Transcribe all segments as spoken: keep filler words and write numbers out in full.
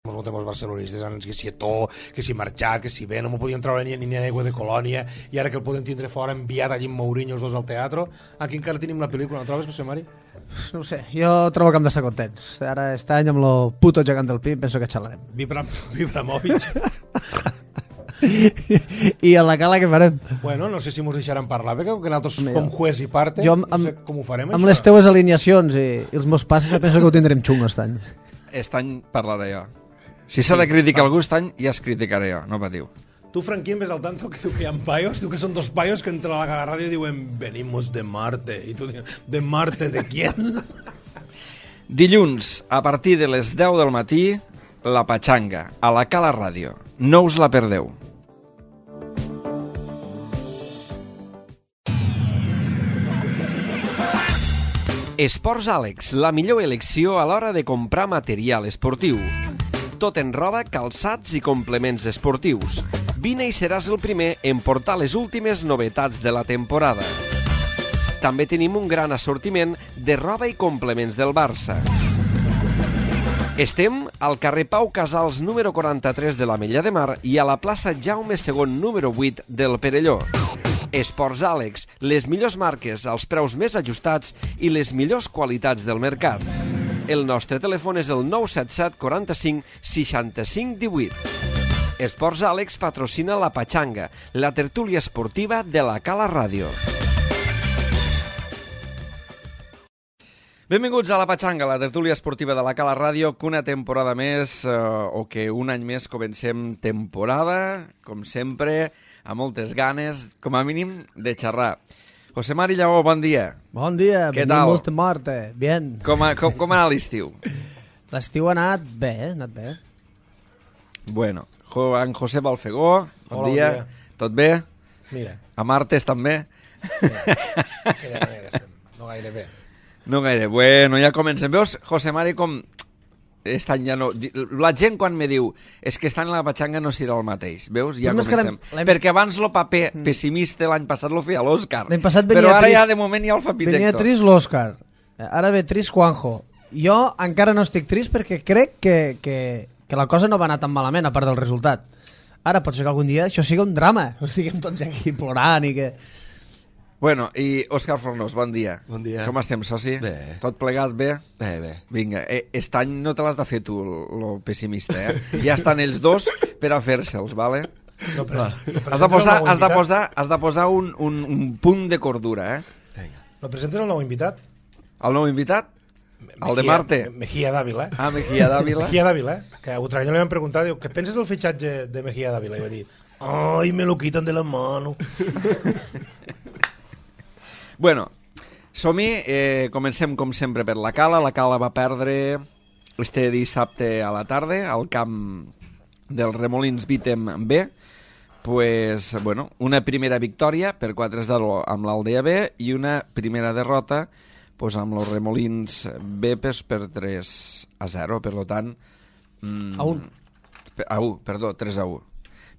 Molts barcelonistes han que si Eto'o, que si Marxà, que si bé, no m'ho podien treure ni, ni aigua de Colònia, i ara que el podem tindre fora, enviat allí amb Mourinho els dos al teatre. Aquí encara tenim la pel·lícula, no trobes, José Mari? No ho sé, jo trobo que hem d'estar contents. Ara, aquest any, amb lo puto gegant del Pi, penso que xalarem. Vibra, Vibramovic. I a la cala què farem? Bueno, no sé si mos deixaran parlar, perquè nosaltres com juez i parte, jo amb, no sé com ho farem, amb això. Les teues alineacions i, i els meus passes, penso que ho tindrem xungo aquest any. Aquest any parlaré jo. Si s'ha sí, de criticar algú aquest any, ja es criticaré jo, no patiu. Tu, Franquín, ves al tanto que diu que hi ha paios, diu que són dos paios que entren a la ràdio i diuen venimos de Marte, i tu dius, de Marte, ¿de quién? Dilluns, a partir de les deu del matí, la Patxanga, a la Cala Ràdio. No us la perdeu. Esports Àlex, la millor elecció a l'hora de comprar material esportiu. Tot en roba, calçats i complements esportius. Vine i seràs el primer en portar les últimes novetats de la temporada. També tenim un gran assortiment de roba i complements del Barça. Estem al carrer Pau Casals número quaranta-tres de l'Ametlla de Mar i a la plaça Jaume segon número vuit del Perelló. Esports Àlex, les millors marques als preus més ajustats i les millors qualitats del mercat. El nostre telèfon és el nou set set quaranta-cinc seixanta-cinc divuit. Esports Àlex patrocina la Patxanga, la tertúlia esportiva de la Cala Ràdio. Benvinguts a la Patxanga, la tertúlia esportiva de la Cala Ràdio, que una temporada més, eh, o que un any més comencem temporada, com sempre, amb moltes ganes, com a mínim, de xerrar. José Mari Lleó, bon dia. Bon dia, què tal? Venimos de Marte, bien. Com, a, com, com ha anat l'estiu? L'estiu ha anat bé, eh? ha anat bé. Bueno, en José Balfegó, bon Hola, dia. bon dia. Tot bé? Mira. A Martes també? Aquella manera estem, no gaire bé. No gaire. Bueno, ja comencem. Veus, José Mari, com... Estan ja no... La gent quan me diu és que estan en la Patxanga no serà el mateix, veus? Ja comencem. Perquè abans el paper pessimista l'any passat lo feia l'Òscar. L'any passat venia però ara trist, ja de moment hi ha el Fapitecto. Venia trist l'Òscar. Ara ve trist Juanjo. Jo encara no estic trist perquè crec que, que, que la cosa no va anar tan malament a part del resultat. Ara pot ser que algun dia això sigui un drama. Estiguem tots aquí plorant i que... Bueno, i Òscar Fornós, bon dia. Bon dia. Com estem, soci? Bé. Tot plegat bé? Bé, bé. Vinga, eh, aquest any no te l'has de fer tu, lo pessimista, eh? Ja estan els dos per a fer-se'ls, vale? No, però, has de posar, has de posar, has de posar un, un, un punt de cordura, eh? Vinga. no presentes el nou invitat? El nou invitat? Mejía, el de Marte? Mejía Dávila. Ah, Mejía Dávila. Mejía Dávila, que a Utranya li van preguntar, diu, què penses del fitxatge de Mejía Dávila? I va dir, ai, me lo quitan de la mano. Bueno, som-hi, eh, comencem com sempre per la Cala. La Cala va perdre este dissabte a la tarda al camp del Remolins Vítem B. Pues, bueno, una primera victòria per quatre a zero amb l'Aldea B i una primera derrota pues, amb els Remolins B pues, per tres a zero. Per tant... Mm, a un. A un, perdó, tres a un.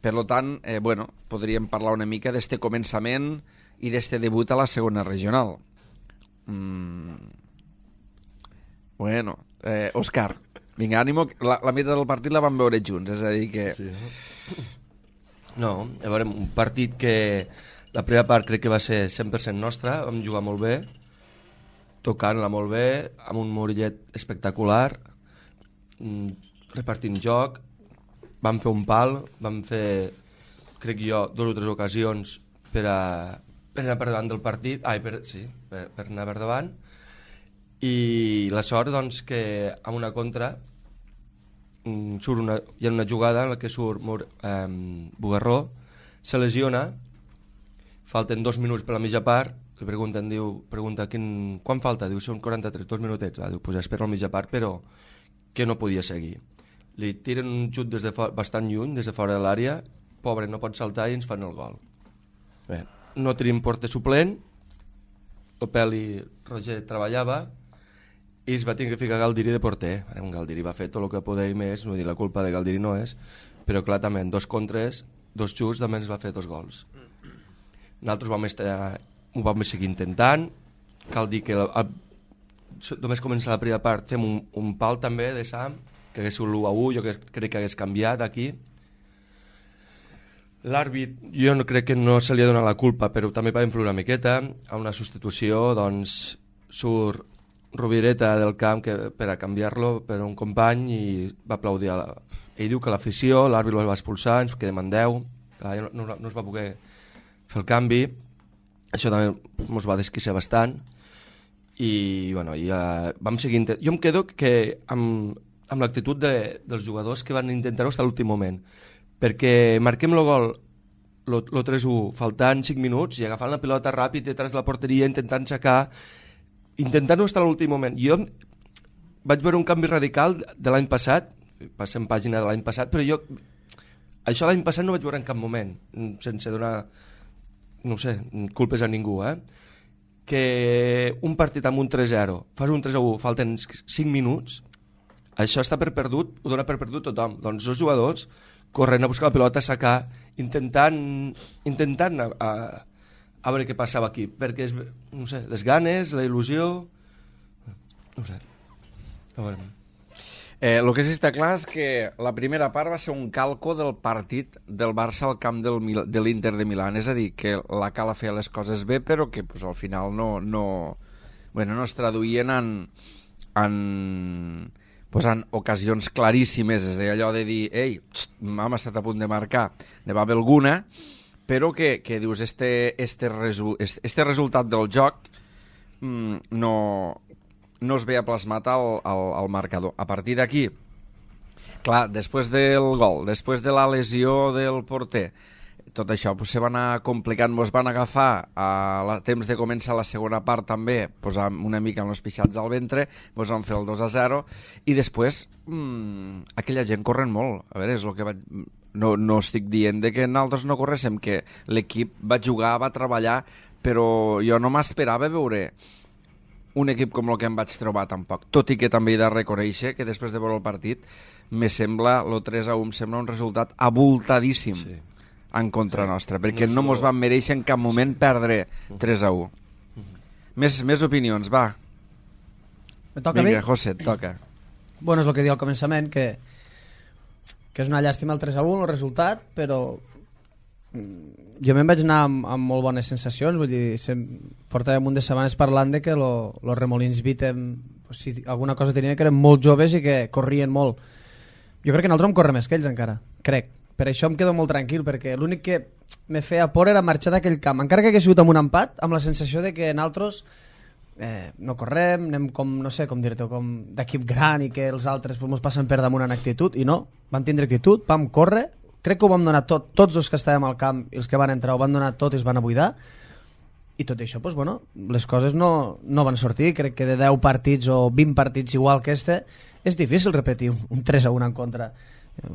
Per tant, eh, bueno, podríem parlar una mica d'este començament i d'este debut a la segona regional. Mm. Bueno, eh, Òscar, vinga, ànimo, la, la meitat del partit la vam veure junts, és a dir que... Sí, no? No, a veure, un partit que la primera part crec que va ser cent per cent nostra, vam jugar molt bé, tocant-la molt bé, amb un Murillet espectacular, repartint joc, vam fer un pal, vam fer, crec jo, dues o tres ocasions per a... per anar per davant del partit, ai, per, sí, per, per anar per davant, i la sort, doncs, que amb una contra surt una, hi ha una jugada en la que surt eh, Bugarró, se lesiona, falten dos minuts per la mitja part, li pregunten, diu, pregunta, quin, quan falta? Diu, són quaranta-tres, dos minutets, va, diu, pues espera la mitja part, però que no podia seguir. Li tiren un xut des de fora, bastant lluny, des de fora de l'àrea, pobre, no pot saltar i ens fan el gol. Bé, no tenim porter suplent, el Peli Roger treballava i es va tenir que ficar Galdiri de porter. Un Galdiri va fer tot el que podia i més, no dir la culpa de Galdiri no és, però clar, també en dos contres, dos xuts, també ens va fer dos gols. Nosaltres vam estar, ho vam seguir intentant, cal dir que el, el, només comença la primera part, fem un, un pal també de Sam, que hagués sigut l'u a u, jo que crec que hagués canviat aquí. L'àrbit, jo no crec que no se li ha donat la culpa, però també va influir una miqueta. A una substitució, doncs, surt Rubireta del camp que, per a canviar-lo per un company i va aplaudir. A la... Ell diu que l'afició, l'àrbit el va expulsar, ens quedem en deu, no, no, no es va poder fer el canvi. Això també ens va desquiciar bastant. I, bueno, ja vam seguir... Jo em quedo que amb, amb l'actitud de, dels jugadors que van intentar-ho fins a l'últim moment. Perquè marquem el gol el tres a u faltant cinc minuts i agafant la pilota ràpid detrás de la porteria, intentant aixecar, intentant-ho fins a l'últim moment. Jo vaig veure un canvi radical de l'any passat, passem pàgina de l'any passat, però jo això l'any passat no vaig veure en cap moment, sense donar, no sé, culpes a ningú, eh? Que un partit amb un tres a zero, fas un tres a u, falten cinc minuts, això està per perdut, ho dona per perdut tothom. Doncs els jugadors corrent a buscar la pilota, a sacar, intentant, intentant a, a, a veure què passava aquí, perquè, no sé, les ganes, la il·lusió, no sé, a veure. Eh, el que sí està clar és que la primera part va ser un calco del partit del Barça al camp del Mil de l'Inter de Milán, és a dir, que la Cala feia les coses bé, però que pues, al final no, no, bueno, no es traduïen en... en pues en ocasions claríssimes, és allò de dir, ei, txt, hem estat a punt de marcar, ne va haver alguna, però que, que dius, este, este, resu, este, este resultat del joc mm, no, no es veia plasmat al, al, al marcador. A partir d'aquí, clar, després del gol, després de la lesió del porter, tot això pues, se va anar complicant, ens van agafar a la, temps de començar la segona part també, pues, una mica amb els pixats al ventre, ens van fer el dos a zero i després mmm, aquella gent corren molt. A veure, és el que vaig... No, no estic dient de que nosaltres no corréssim, que l'equip va jugar, va treballar, però jo no m'esperava veure un equip com el que em vaig trobar tampoc, tot i que també he de reconèixer que després de veure el partit me sembla, el tres a u em sembla un resultat abultadíssim. Sí. En contra nostra, perquè no mos van mereixer en cap moment perdre tres a u. Més, més opinions, va. Me toca Vinga, a mi? José, et toca. Bueno, és el que diu al començament, que, que és una llàstima el tres a u, el resultat, però jo me'n vaig anar amb, amb molt bones sensacions, vull dir, sem... portàvem un de setmanes parlant de que los lo Remolins Vitem, pues, si alguna cosa tenien que eren molt joves i que corrien molt. Jo crec que nosaltres em correm més que ells encara, crec. Per això em quedo molt tranquil, perquè l'únic que me feia por era marxar d'aquell camp. Encara que hagués sigut amb un empat, amb la sensació de que nosaltres eh, no correm, anem com, no sé com dir-te, com d'equip gran i que els altres pues, ens passen per damunt en actitud, i no, vam tindre actitud, vam córrer, crec que ho vam donar tot, tots els que estàvem al camp i els que van entrar ho van donar tot i es van a buidar, i tot això, pues, bueno, les coses no, no van sortir. Crec que de deu partits o vint partits igual que este, és difícil repetir un tres a u en contra.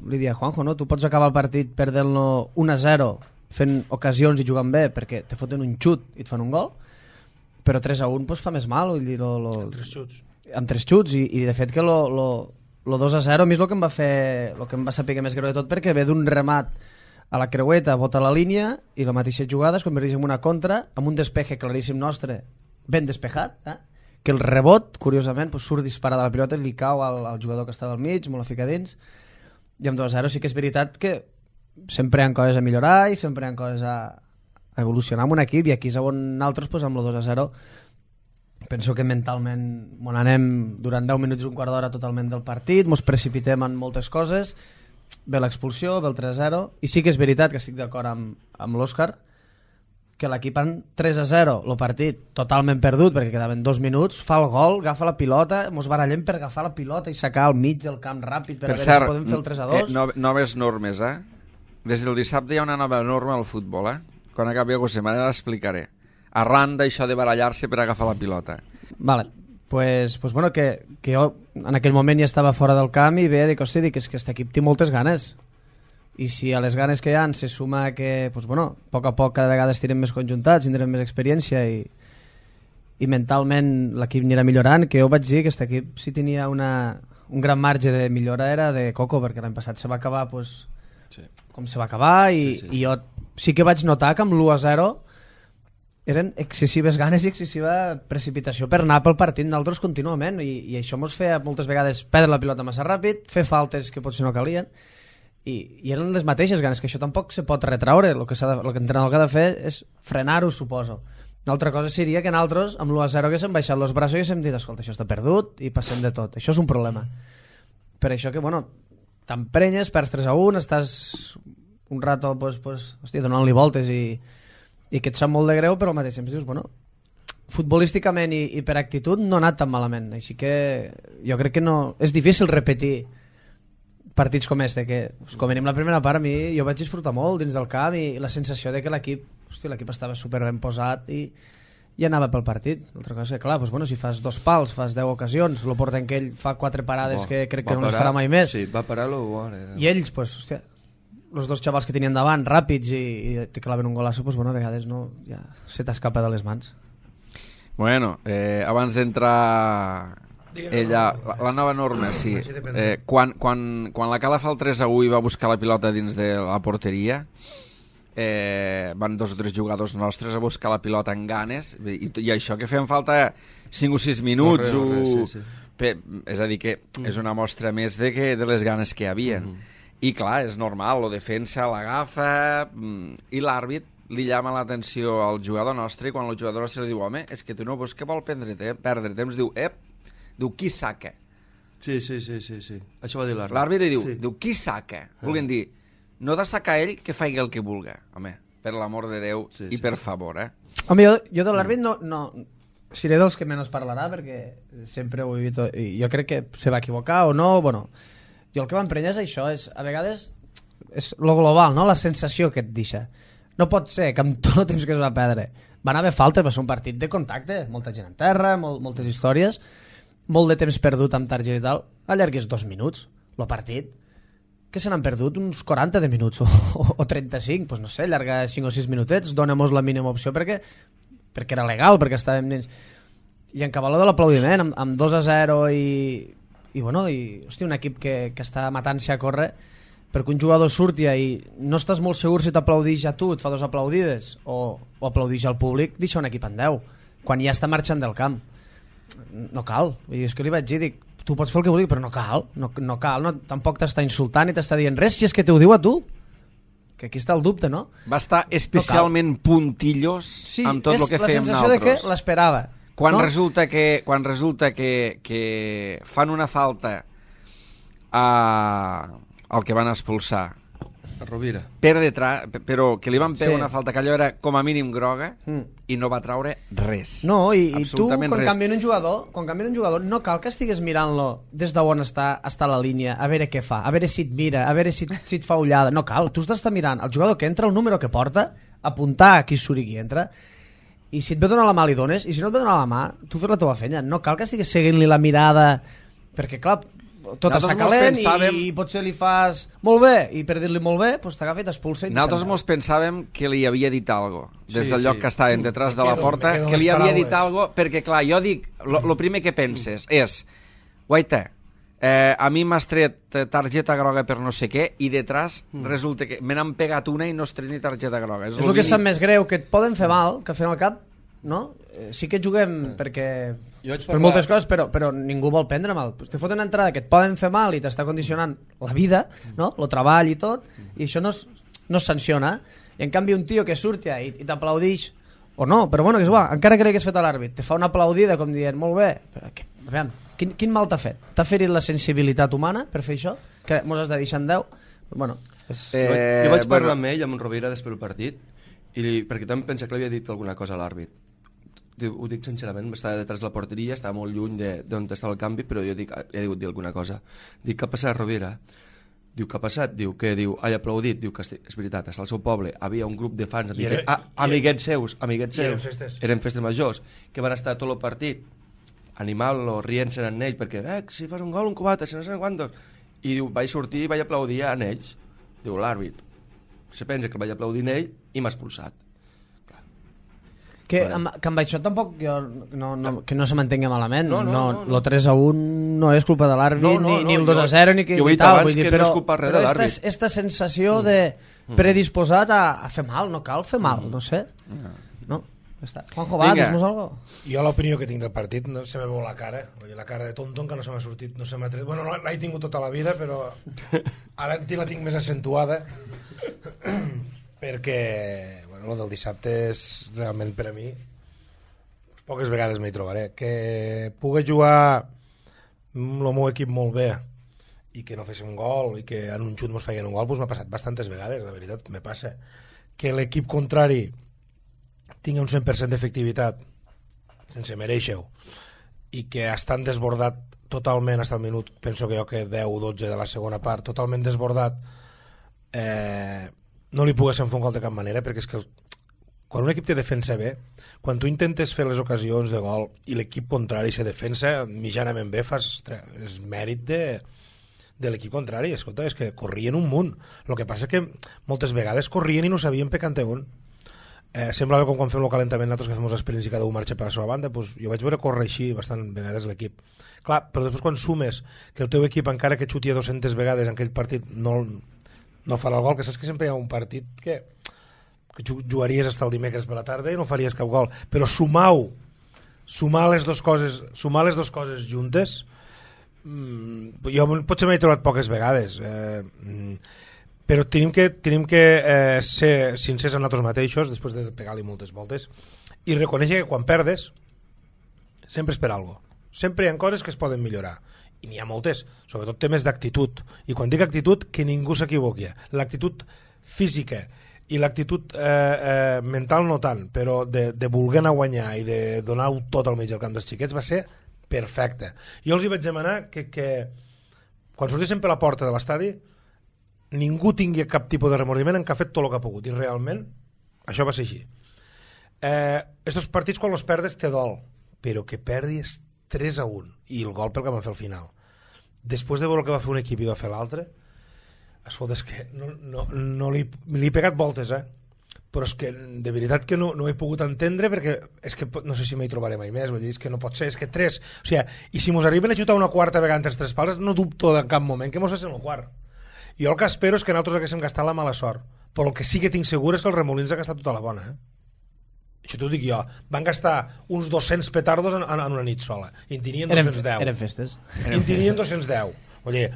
Li dia, Juanjo, no? Tu pots acabar el partit perdent-lo un a zero fent ocasions i jugant bé perquè te foten un xut i et fan un gol, però tres a u pues, fa més mal, vull dir, lo, lo... Amb tres xuts. Amb tres xuts, i, i de fet que lo, lo, lo dos a zero a mi és el que em va fer, el que em va saber més greu de tot, perquè ve d'un remat a la creueta, bota la línia i la mateixa jugada es converteix en una contra amb un despeje claríssim nostre, ben despejat, eh? Que el rebot, curiosament, pues, surt disparada la pilota i li cau al, al jugador que estava al mig, molt a ficar dins. I amb dos a zero sí que és veritat que sempre hi ha coses a millorar i sempre hi ha coses a, a evolucionar amb un equip, i aquí és on nosaltres pues, amb el dos a zero penso que mentalment bon, anem durant deu minuts, un quart d'hora totalment del partit, mos precipitem en moltes coses, ve l'expulsió, ve el tres a zero, i sí que és veritat que estic d'acord amb, amb l'Òscar que l'equip en tres a zero, el partit totalment perdut perquè quedaven dos minuts, fa el gol, agafa la pilota, mos barallem per agafar la pilota i sacar al mig del camp ràpid per, per a veure cert, si podem fer el tres a dos. Eh, no, noves normes, eh? Des del dissabte hi ha una nova norma al futbol, eh? Quan acabi la setmana l'explicaré. Arran d'això de barallar-se per agafar la pilota. Vale, pues, pues bueno, que, que jo en aquell moment ja estava fora del camp i veia, dic, hosti, dic, és que aquest equip té moltes ganes. I si a les ganes que hi ha se suma que, pues bueno, a poc a poc cada vegada estirem més conjuntats, tindrem més experiència i, i mentalment l'equip anirà millorant, que jo vaig dir que aquest equip si tenia una, un gran marge de millora era de Coco, perquè l'any passat se va acabar pues, sí. com se va acabar i, sí, sí. i jo sí que vaig notar que amb l'u a zero eren excessives ganes i excessiva precipitació per anar pel partit d'altres contínuament i, i això mos feia moltes vegades perdre la pilota massa ràpid, fer faltes que potser no calien i, i eren les mateixes ganes, que això tampoc se pot retraure, el que, de, el que l'entrenador ha de fer és frenar-ho, suposo. Una altra cosa seria que nosaltres amb l'u a zero haguéssim baixat els braços i haguéssim dit, escolta, això està perdut i passem de tot, això és un problema. Per això que, bueno, t'emprenyes, perds tres a un, estàs un rato pues, pues, hòstia, donant-li voltes i i que et sap molt de greu, però al mateix temps dius, bueno, futbolísticament i, i per actitud no ha anat tan malament, així que jo crec que no, és difícil repetir partits com este, que com venim la primera part a mi jo vaig disfrutar molt dins del camp i la sensació de que l'equip, hòstia, l'equip estava super ben posat i, i anava pel partit. L'altra cosa és que, clar, doncs, bueno, si fas dos pals, fas deu ocasions, lo porten que ell fa quatre parades oh, que crec que no les farà mai més. Sí, va parar-lo. Eh. I ells, pues, hòstia, els dos xavals que tenien davant, ràpids i, i te claven un golasso, pues, bueno, a vegades no, ja se t'escapa de les mans. Bueno, eh, abans d'entrar ella, la, la nova norma, sí. Eh, quan, quan, quan la Cala fa el tres a u i va buscar la pilota dins de la porteria, eh, van dos o tres jugadors nostres a buscar la pilota amb ganes i, i això que feien falta cinc o sis minuts. No, res, no, res, sí, sí. Per, és a dir, que és una mostra més de, que, de les ganes que hi havien. Mm-hmm. I clar, és normal, la defensa l'agafa i l'àrbit li llama l'atenció al jugador nostre i quan el jugador nostre li diu, home, és que tu no veus que vol prendre temps, perdre temps, diu, ep, diu, qui saca? Sí, sí, sí, sí, sí. Això va dir l'àrbit. L'àrbit li diu, sí. diu, qui saca? Ah. Volguem dir, no de sacar ell que faci el que vulga, home, per l'amor de Déu sí, i sí. Per favor, eh? Home, jo, jo de l'àrbit no, no... Seré dels que menys parlarà perquè sempre ho he vist i jo crec que se va equivocar o no, bueno... Jo el que m'emprenya és això, és, a vegades és lo global, no? La sensació que et deixa. No pot ser que amb tot el temps que es va perdre van haver faltes, va ser un partit de contacte, molta gent en terra, molt, moltes històries, molt de temps perdut amb targeta i tal, allargués dos minuts, el partit, que se n'han perdut uns quaranta de minuts o, o, o trenta-cinc, doncs no sé, allargar cinc o sis minutets, dóna-mos la mínima opció perquè, perquè era legal, perquè estàvem dins. I en cabal de l'aplaudiment, amb, amb dos a zero i... i bueno, i, hosti, un equip que, que està matant-se a córrer perquè un jugador surti i no estàs molt segur si t'aplaudix a tu, et fa dos aplaudides o, o aplaudix al públic, deixa un equip en deu quan ja està marxant del camp no cal, i és que li vaig dir dic, tu pots fer el que vulguis, però no cal no, no cal, no, tampoc t'està insultant ni t'està dient res si és que t'ho diu a tu que aquí està el dubte, no? Va estar especialment no puntillos sí, amb tot el que fèiem nosaltres. Sí, és la sensació de que l'esperava Quan, no? resulta, que, quan resulta que, que fan una falta a, al que van expulsar a Rovira per detrás, però que li van pegar sí. una falta que allò era com a mínim groga mm. i no va traure res. No, i, i tu quan res. canvien un jugador quan canvien un jugador no cal que estigues mirant-lo des d'on està, està la línia, a veure què fa, a veure si et mira, a veure si, si et fa ullada, no cal, tu estàs mirant el jugador que entra, el número que porta, apuntar a qui surt i qui entra. I si et ve donar la mà li dones, i si no et ve donar la mà tu fes la teva feina, no cal que estiguis seguint-li la mirada, perquè clar tot nosaltres està calent pensàvem... i, i potser li fas molt bé, i per dir-li molt bé doncs t'agafa i t'expulsa i nosaltres mos pensàvem que li havia dit algo des sí, del lloc sí. que estàvem detrás me de la quedo, porta, que li havia dit algo perquè clar, jo dic, lo, lo primer que penses és, guaita eh, a mi m'has tret targeta groga per no sé què i detrás mm. resulta que me n'han pegat una i no has tret ni targeta groga és, és el que sap més greu, que et poden fer mal que al fin al cap no? Sí que juguem perquè per parlar... moltes coses, però, però ningú vol prendre mal. Te foten una entrada que et poden fer mal i t'està condicionant la vida, no? El treball i tot, i això no es, no es sanciona. I en canvi un tio que surti i, i t'aplaudix, o no, però bueno, que és igual, encara que l'hagués fet a l'àrbit, te fa una aplaudida com dient, molt bé, però que, veiem, quin, quin mal t'ha fet? T'ha ferit la sensibilitat humana per fer això? Que mos has de deixar en deu? Bueno, és... eh, jo, vaig, jo vaig parlar bueno... amb ell, amb en Rovira, després del partit, i li, perquè també pensa que li havia dit alguna cosa a l'àrbit. Ho dic sincerament, estava detrás de la porteria, estava molt lluny d'on estava el canvi, però jo dic, li he dit dir alguna cosa. Dic, què ha passat, Rovira? Diu, què ha passat? Diu, què? Diu, ha aplaudit. Diu que és veritat, està al seu poble, havia un grup de fans, amigue, era, ah, amiguets seus, amiguets seus, eren festes. eren festes majors, que van estar tot el partit animant-lo, rient-se en ells, perquè, eh, si fas un gol, un cubata, si no sé quantos. I diu, vaig sortir i vaig aplaudir en ells. Diu, l'àrbit. Se pensa que el vaig aplaudir en ell i m'ha expulsat. Que amb, que amb això tampoc jo, no, no, que no se m'entengui malament no, no, no, no, no. El tres a un no és culpa de l'àrbit no, no, ni, ni el dos a zero ni, jo ni tal vull dir, però, no és culpa res però de l'àrbit esta, esta sensació de predisposat a, a fer mal, no cal fer mal, no sé no. Està. Juanjo, va, Vinga. dis-nos algo. Jo l'opinió que tinc del partit no se me veu la cara, la cara de tonton que no se m'ha sortit, no se m'ha tret. Bueno, l'he tingut tota la vida, però ara la tinc més accentuada perquè bueno, lo del dissabte és realment per a mi poques vegades m'hi trobaré. Que pugui jugar el meu equip molt bé i que no féssim un gol i que en un xut mos feien un gol, doncs m'ha passat bastantes vegades, la veritat, me passa. Que l'equip contrari tingui un cent per cent d'efectivitat sense mereixer-ho i que estan desbordat totalment fins al minut, penso que jo que deu o dotze de la segona part, totalment desbordat, eh, no li poguessin fer un gol de cap manera, perquè és que el, quan un equip te defensa bé, quan tu intentes fer les ocasions de gol i l'equip contrari se defensa mitjanament bé, fas, ostres, és mèrit de, de l'equip contrari. Escolta, és que corrien un munt. El que passa que moltes vegades corrien i no sabien per cante on. Eh, semblava com quan fem el calentament nosaltres que fem els experients i cada un marxa per la seva banda, doncs jo vaig veure córrer així bastant vegades l'equip. Clar, però després quan sumes que el teu equip encara que xuti a dues-centes vegades en aquell partit no, no farà el gol, que saps que sempre hi ha un partit que, que jugaries fins el dimecres per la tarda i no faries cap gol, però sumau sumar les dues coses sumar les dues coses juntes mmm, jo potser m'he trobat poques vegades eh, mmm, però tenim que, tenim que eh, ser sincers amb nosaltres mateixos després de pegar-li moltes voltes i reconèixer que quan perdes sempre és per alguna cosa. Sempre hi ha coses que es poden millorar i n'hi ha moltes, sobretot temes d'actitud, i quan dic actitud que ningú s'equivoqui, l'actitud física i l'actitud eh, eh, mental no tant, però de, de voler anar a guanyar i de donar-ho tot al mig del camp dels xiquets va ser perfecte. Jo els hi vaig demanar que, que quan sortissin per la porta de l'estadi ningú tingui cap tipus de remordiment en que ha fet tot el que ha pogut, i realment això va ser així. Eh, estos partits quan els perdes te dol, però que perdis tres a un i el gol pel que van fer al final, després de veure el que va fer un equip i va fer l'altre, escolta, és que no, no, no li, li he pegat voltes, eh? Però és que de veritat que no, no he pogut entendre, perquè és que no sé si m'hi trobaré mai més, vull dir, és que no pot ser, és que tres, o sigui, i si mos arriben a xutar una quarta vegada entre els tres pals, no dubto en cap moment que mos facin el quart. Jo el que espero és que nosaltres haguéssim gastat la mala sort, però el que sí que tinc segur és que el Remolins ha gastat tota la bona, eh? Això t'ho dic jo. Van gastar uns dos-cents petardos en, en una nit sola, i en tenien dos-cents deu. Eren, eren festes. I en tenien dos-cents deu. Vull dir,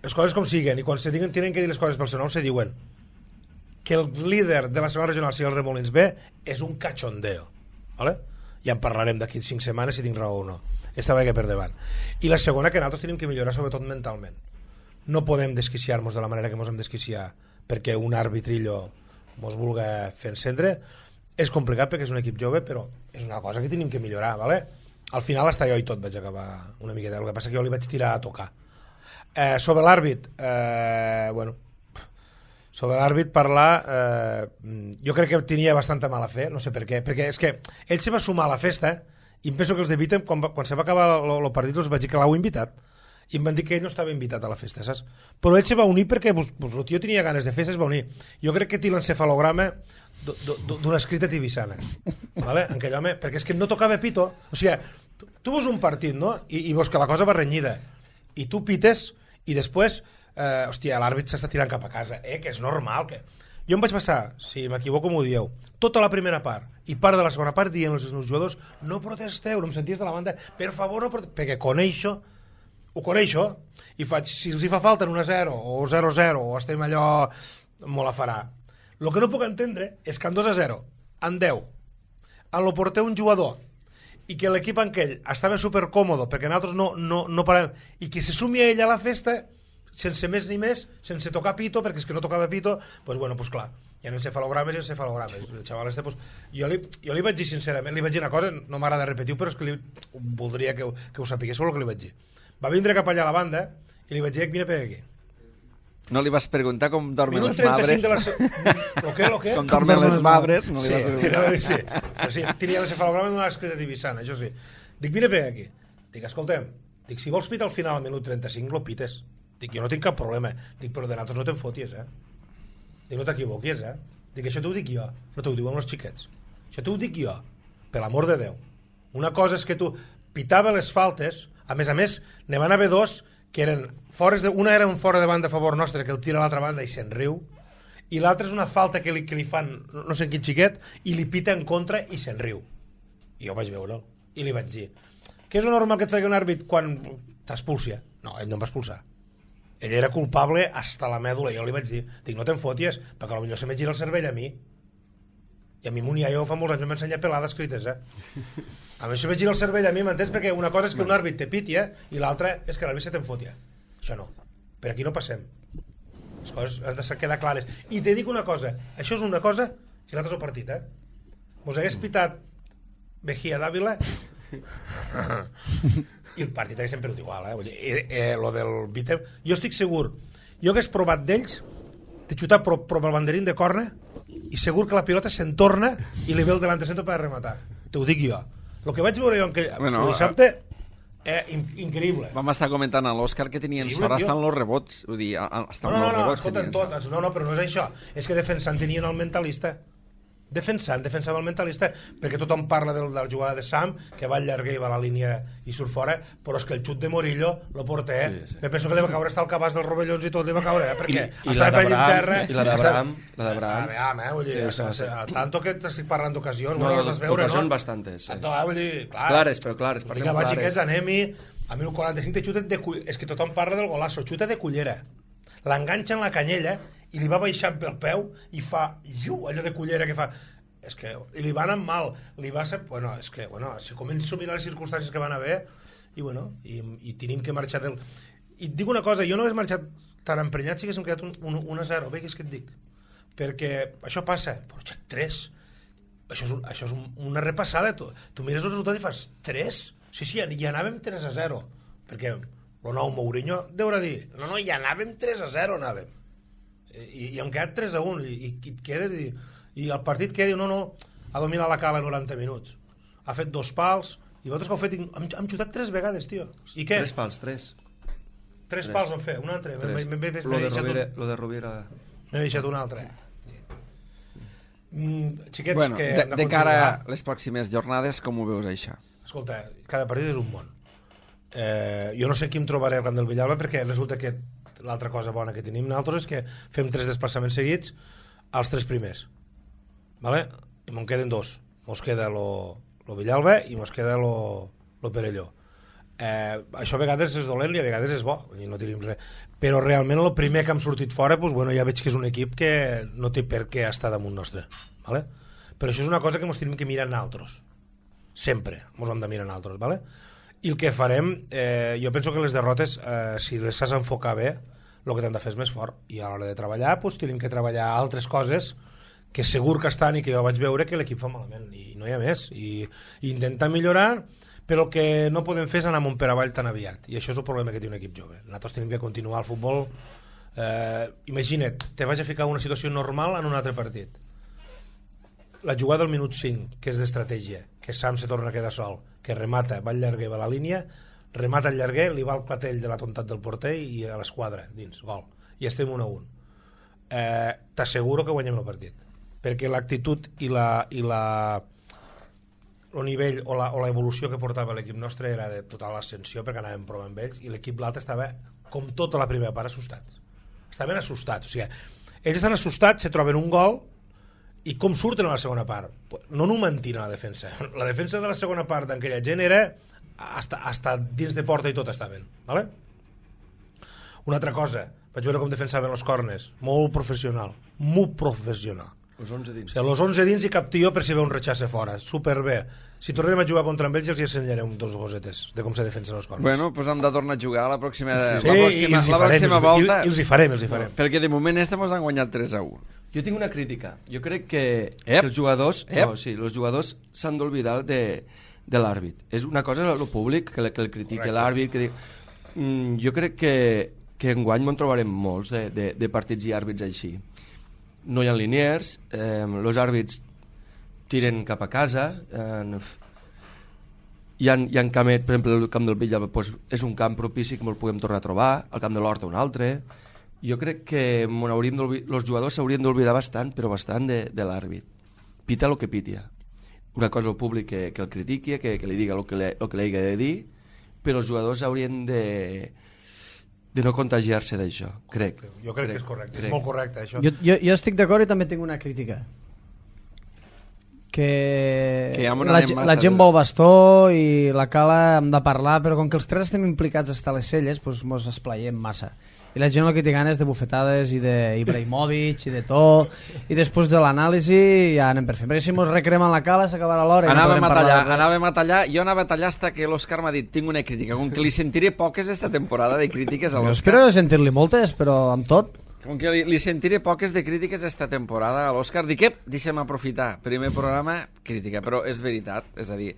les coses com siguen, i quan se tenen, tenen que dir les coses pel seu nom, se diuen que el líder de la segona regional sigui el Remolins B és un cachondeo, ¿vale? Ja en parlarem d'aquí cinc setmanes si tinc raó o no. Estava que per davant. I la segona, que nosaltres tenim que millorar sobretot mentalment. No podem desquiciar-nos de la manera que ens hem desquiciar perquè un arbitrillo mos vulgui fer encendre. És complicat perquè és un equip jove, però és una cosa que tenim que millorar, ¿vale? Al final hasta jo i tot vaig acabar una miqueta, el que passa que jo li vaig tirar a tocar. Eh, sobre l'àrbit, eh, bueno, sobre l'àrbit parlar, eh, jo crec que tenia bastanta mala fe, no sé per què, perquè és que ell se va sumar a la festa i em penso que els de Vitem, quan, quan se va acabar el partit, els vaig dir que l'heu invitat i em van dir que ell no estava invitat a la festa, saps? Però ell se va unir perquè pues, pues, el tio tenia ganes de festa, es va unir. Jo crec que té l'encefalograma d'una escrita tibissana, ¿vale? En aquell home, perquè és que no tocava pito, o sigui, tu, tu veus un partit, no? I, i veus que la cosa va renyida, i tu pites, i després, eh, hòstia, l'àrbit s'està tirant cap a casa, eh, que és normal, que... Jo em vaig passar, si m'equivoco m'ho dieu, tota la primera part i part de la segona part dient als meus jugadors no protesteu, no em senties de la banda, per favor no protesteu, perquè coneixo, ho coneixo, i faig, si els hi fa falta en un a zero o zero a zero o estem allò, me la farà. El que no puc entendre és que en dos a zero, en deu, en lo porter un jugador i que l'equip en aquell estava supercòmodo perquè nosaltres no, no, no parem, i que se sumi a ella a la festa sense més ni més, sense tocar pito, perquè és que no tocava pito, doncs pues bueno, pues clar, hi ha encefalogrames i encefalogrames. El xaval este, pues, jo, li, jo li vaig dir sincerament, li vaig dir una cosa, no m'agrada repetir-ho, però és que li, voldria que, que ho sapigués el que li vaig dir. Va vindre cap allà a la banda i li vaig dir, vine per aquí. No li vas preguntar com dormen Minut les mabres? De la... Lo que, lo que? Com dormen les mabres? No li sí, vas preguntar. tira, sí, sí, tenia l'encefalograma d'una escrita tibissana, això sí. Dic, vine per aquí. Dic, escolta'm, dic, si vols pitar al final al minut trenta-cinc, lo pites. Dic, jo no tinc cap problema. Dic, però de nosaltres no te'n foties, eh? Dic, no t'equivoquis, eh? Dic, això t'ho dic jo, no t'ho diuen els xiquets. Això t'ho dic jo, per l'amor de Déu. Una cosa és que tu pitava les faltes, a més a més, ne van haver dos que eren fores de... Una era un fora de banda a favor nostre, que el tira a l'altra banda i se'n riu, i l'altre és una falta que li, que li fan no sé quin xiquet i li pita en contra i se'n riu. I jo vaig veure'l i li vaig dir què és lo normal que et faci un àrbit quan t'expulsia? No, ell no em va expulsar. Ell era culpable hasta la mèdula. Jo li vaig dir, dic, no te'n foties, perquè potser se me gira el cervell a mi. I a mi mon iaio fa molts anys m'ha ensenyat pelades escrites, eh? A mi se me gira el cervell a mi, m'entens? Perquè una cosa és que un àrbit te piti, eh? I l'altra és que l'àrbit se te'n fotia. Això no. Per aquí no passem. Les coses han de quedar clares. I te dic una cosa, això és una cosa i l'altre és el partit, eh? Vos hagués pitat Mejía d'Àvila i el partit hagués perdut igual, eh? Vull dir, eh, eh, lo del Vítem, jo estic segur, jo hagués provat d'ells de xutar pro, pro el banderín de corna i segur que la pilota se'n torna i li ve el delanter centre per rematar. Te ho dic jo. El que vaig veure jo en que bueno, el dissabte eh, in, increïble. Vam estar comentant a l'Òscar que tenien increïble, sort tio. estan els rebots. Vull dir, estan No, no, els no, rebots. escolta, tot, no, no, però no és això. És que defensant tenien el mentalista. Defensant, defensava el mentalista, perquè tothom parla de la jugada de Sam, que va al llarguer i va a la línia i surt fora, però és que el xut de Morillo lo porta, eh? Sí, sí. Me penso que li va caure hasta el cabàs dels rovellons i tot li va caure, eh? Perquè I, i la d'Abraham, i la d'Abraham, la d'Abraham. Abraham, eh? Vull dir, sí, sí, sí. Tanto que t'estic parlant d'ocasions, no, bueno, les vas veure, no? Són bastantes, sí. Tanto, eh? Vull dir, clar. Clares, però clares, parlem clares. clares. Anem-hi, a mi el quaranta-cinc te xuta de cullera, és que tothom parla del golasso, xuta de cullera. L'enganxa en la canyella i li va baixant pel peu i fa, iu, allò de cullera que fa... És que i li va anar mal, li va ser... Bueno, és que, bueno, si començo a mirar les circumstàncies que van haver, i bueno, i, i tenim que marxar del... I et dic una cosa, jo no hagués marxat tan emprenyat si haguéssim quedat un, un, un a zero, bé, què és que et dic? Perquè això passa, però xec, tres. Això és, un, això és un, una repassada, tu, tu mires el resultat i fas tres? Sí, sí, ja anàvem tres a zero, perquè el nou Mourinho deurà dir, no, no, ja anàvem tres a zero, anàvem. I, i hem quedat tres a un, i, i, i et quedes i... i el partit que diu, no, no, ha dominat la cala noranta minuts, ha fet dos pals i vosaltres que heu fet, hem, hem xutat tres vegades, tio, i què? Tres pals, tres tres, tres. pals vam fer, un altre m'he de Rovira m'he deixat un altre mm, xiquets bueno, que de, de cara a les pròximes jornades com ho veus això? Escolta, cada partit és un món, eh, jo no sé qui em trobaré al camp del Villalba perquè resulta que l'altra cosa bona que tenim nosaltres és que fem tres desplaçaments seguits als tres primers, vale? I me'n queden dos, mos queda lo, lo Villalba i mos queda lo, lo Perelló. Eh, això a vegades és dolent i a vegades és bo, no tenim res. Però realment el primer que hem sortit fora, pues, bueno, ja veig que és un equip que no té per què estar damunt nostre, vale? Però això és una cosa que mos tenim que mirar nosaltres, sempre mos hem de mirar nosaltres, vale? I el que farem, eh, jo penso que les derrotes, eh, si les saps enfocar bé, el que t'han de fer és més fort, i a l'hora de treballar pues, tenim que treballar altres coses que segur que estan i que jo vaig veure que l'equip fa malament i no hi ha més, i, i intentar millorar, però el que no podem fer és anar amunt per avall tan aviat, i això és el problema que té un equip jove. Nosaltres tenim que continuar el futbol, eh, imagina't, te vaig a ficar una situació normal en un altre partit, la jugada del minut cinc, que és d'estratègia, que Sam se torna a quedar sol, que remata, va al llarguer, va a la línia, remata el llarguer, li va el clatell de la tontat del porter i a l'esquadra dins, gol, i estem un a un. Eh, t'asseguro que guanyem el partit, perquè l'actitud i la i la el nivell o la, o la evolució que portava l'equip nostre era de total ascensió, perquè anàvem provant amb ells, i l'equip l'altre estava com tota la primera part assustats, estaven assustats, o sigui, ells estan assustats, se troben un gol i com surten a la segona part? No no mentien a la defensa, la defensa de la segona part d'aquella gent era hasta, hasta dins de porta i tot estaven, ¿vale? Una altra cosa, vaig veure com defensaven els corners, molt professional, molt professional. Los onze dins. O sigui, los onze dins i cap tio per si ve un rechace fora, superbé. Si tornem a jugar contra ells els hi ensenyarem dos gosetes de com se defensen els corners. Bueno, doncs hem de tornar a jugar la pròxima, sí, la pròxima, sí, la pròxima volta. I els hi farem, els hi farem. Perquè de moment este mos han guanyat tres a u. Jo tinc una crítica. Jo crec que, que els jugadors, no, sí, els jugadors s'han d'oblidar de, de l'àrbit. És una cosa el públic que, que el critique l'àrbit, que diu... Mm, jo crec que, que enguany en trobarem molts de, de, de partits i àrbits així. No hi ha liniers, eh, els àrbits tiren cap a casa, eh, hi ha, hi ha camet, per exemple, el camp del Villalba pues, és un camp propici que el podem tornar a trobar, el camp de l'Horta un altre. Jo crec que els jugadors s'haurien d'oblidar bastant, però bastant de, de l'àrbit. Pita el que pitia. Una cosa el públic que, que el critiqui, que, que li diga el que, le, el que li hagi de dir, però els jugadors haurien de de no contagiar-se d'això, crec. Jo crec, crec que és correcte, crec. És molt correcte, això. Jo, jo, jo estic d'acord i també tinc una crítica. Que, que ja la, la gent vol bastó i la cala hem de parlar, però com que els tres estem implicats a estar a les celles, doncs mos esplaiem massa. I la gent el que té ganes de bufetades i d'Ibrahimovic i de tot, i després de l'anàlisi ja anem per fer. Perquè si mos recrem en la cala s'acabarà l'hora i no podrem parlar. Anàvem a tallar, jo anava a tallar hasta que l'Òscar m'ha dit tinc una crítica, com que li sentiré poques esta temporada de crítiques a l'Òscar. Espero sentir-li moltes, però amb tot. Com que li, li sentiré poques de crítiques esta temporada a l'Òscar, dic, ep, deixa'm aprofitar. Primer programa, crítica, però és veritat, és a dir...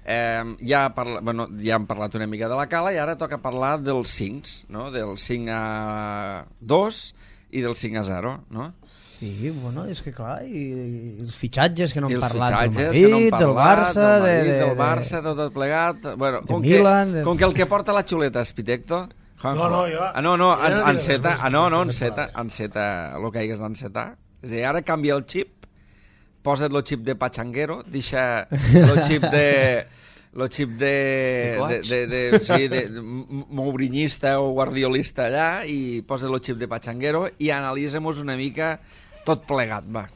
Eh, ja, parla, bueno, ja hem parlat una mica de la cala i ara toca parlar dels cinc, no? Del cinc a dos i del cinc a zero, no? Sí, bueno, és que clar, i, i els fitxatges que no hem parlat del Madrid, no parlat, del Barça, del, Madrid, de, de, del Barça, tot, tot plegat, bueno, de com, Milan, que, de... com que el que porta la xuleta és Pitecto. No, no, jo... Ah, no, no, en, enceta, ah, no, no, enceta, enceta, el que hagués d'encetar. És a dir, ara canvia el xip, posa't el xip de Pachanguero, deixa el xip de... el xip de, de, de, de, de, sí, de, de mourinyista o guardiolista allà i posa el xip de Pachanguero i analitzem-nos una mica tot plegat, va.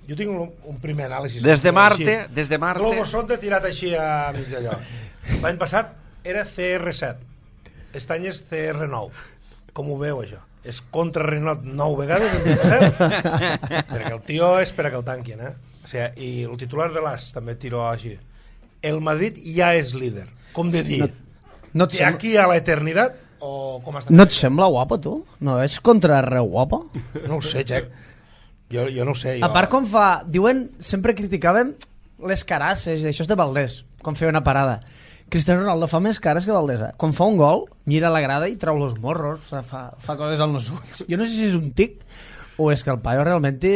Jo tinc un, un primer anàlisi. Des de Marte, des de Marte... Globo sonda tirat així a mig d'allò. L'any passat era C R set, aquest any és C R nou. Com ho veu, això? És contra Renault nou vegades, perquè el tio espera que el tanquin, eh? O sigui, i el titular de l'As també tiró així. El Madrid ja és líder. Com de dir, no, no de aquí a l'eternitat o com està? No et sembla guapo, tu? No és contra res guapo? No ho sé, Jack. Jo, jo no ho sé. Jo... A part, com fa... Diuen, sempre criticàvem les carasses, això és de Valdés, quan feia una parada. Cristiano Ronaldo fa més cares que Valdés, eh? Quan fa un gol, mira la grada i trau los morros, fa, fa coses als nos ulls. Jo no sé si és un tic o és que el paio realment té...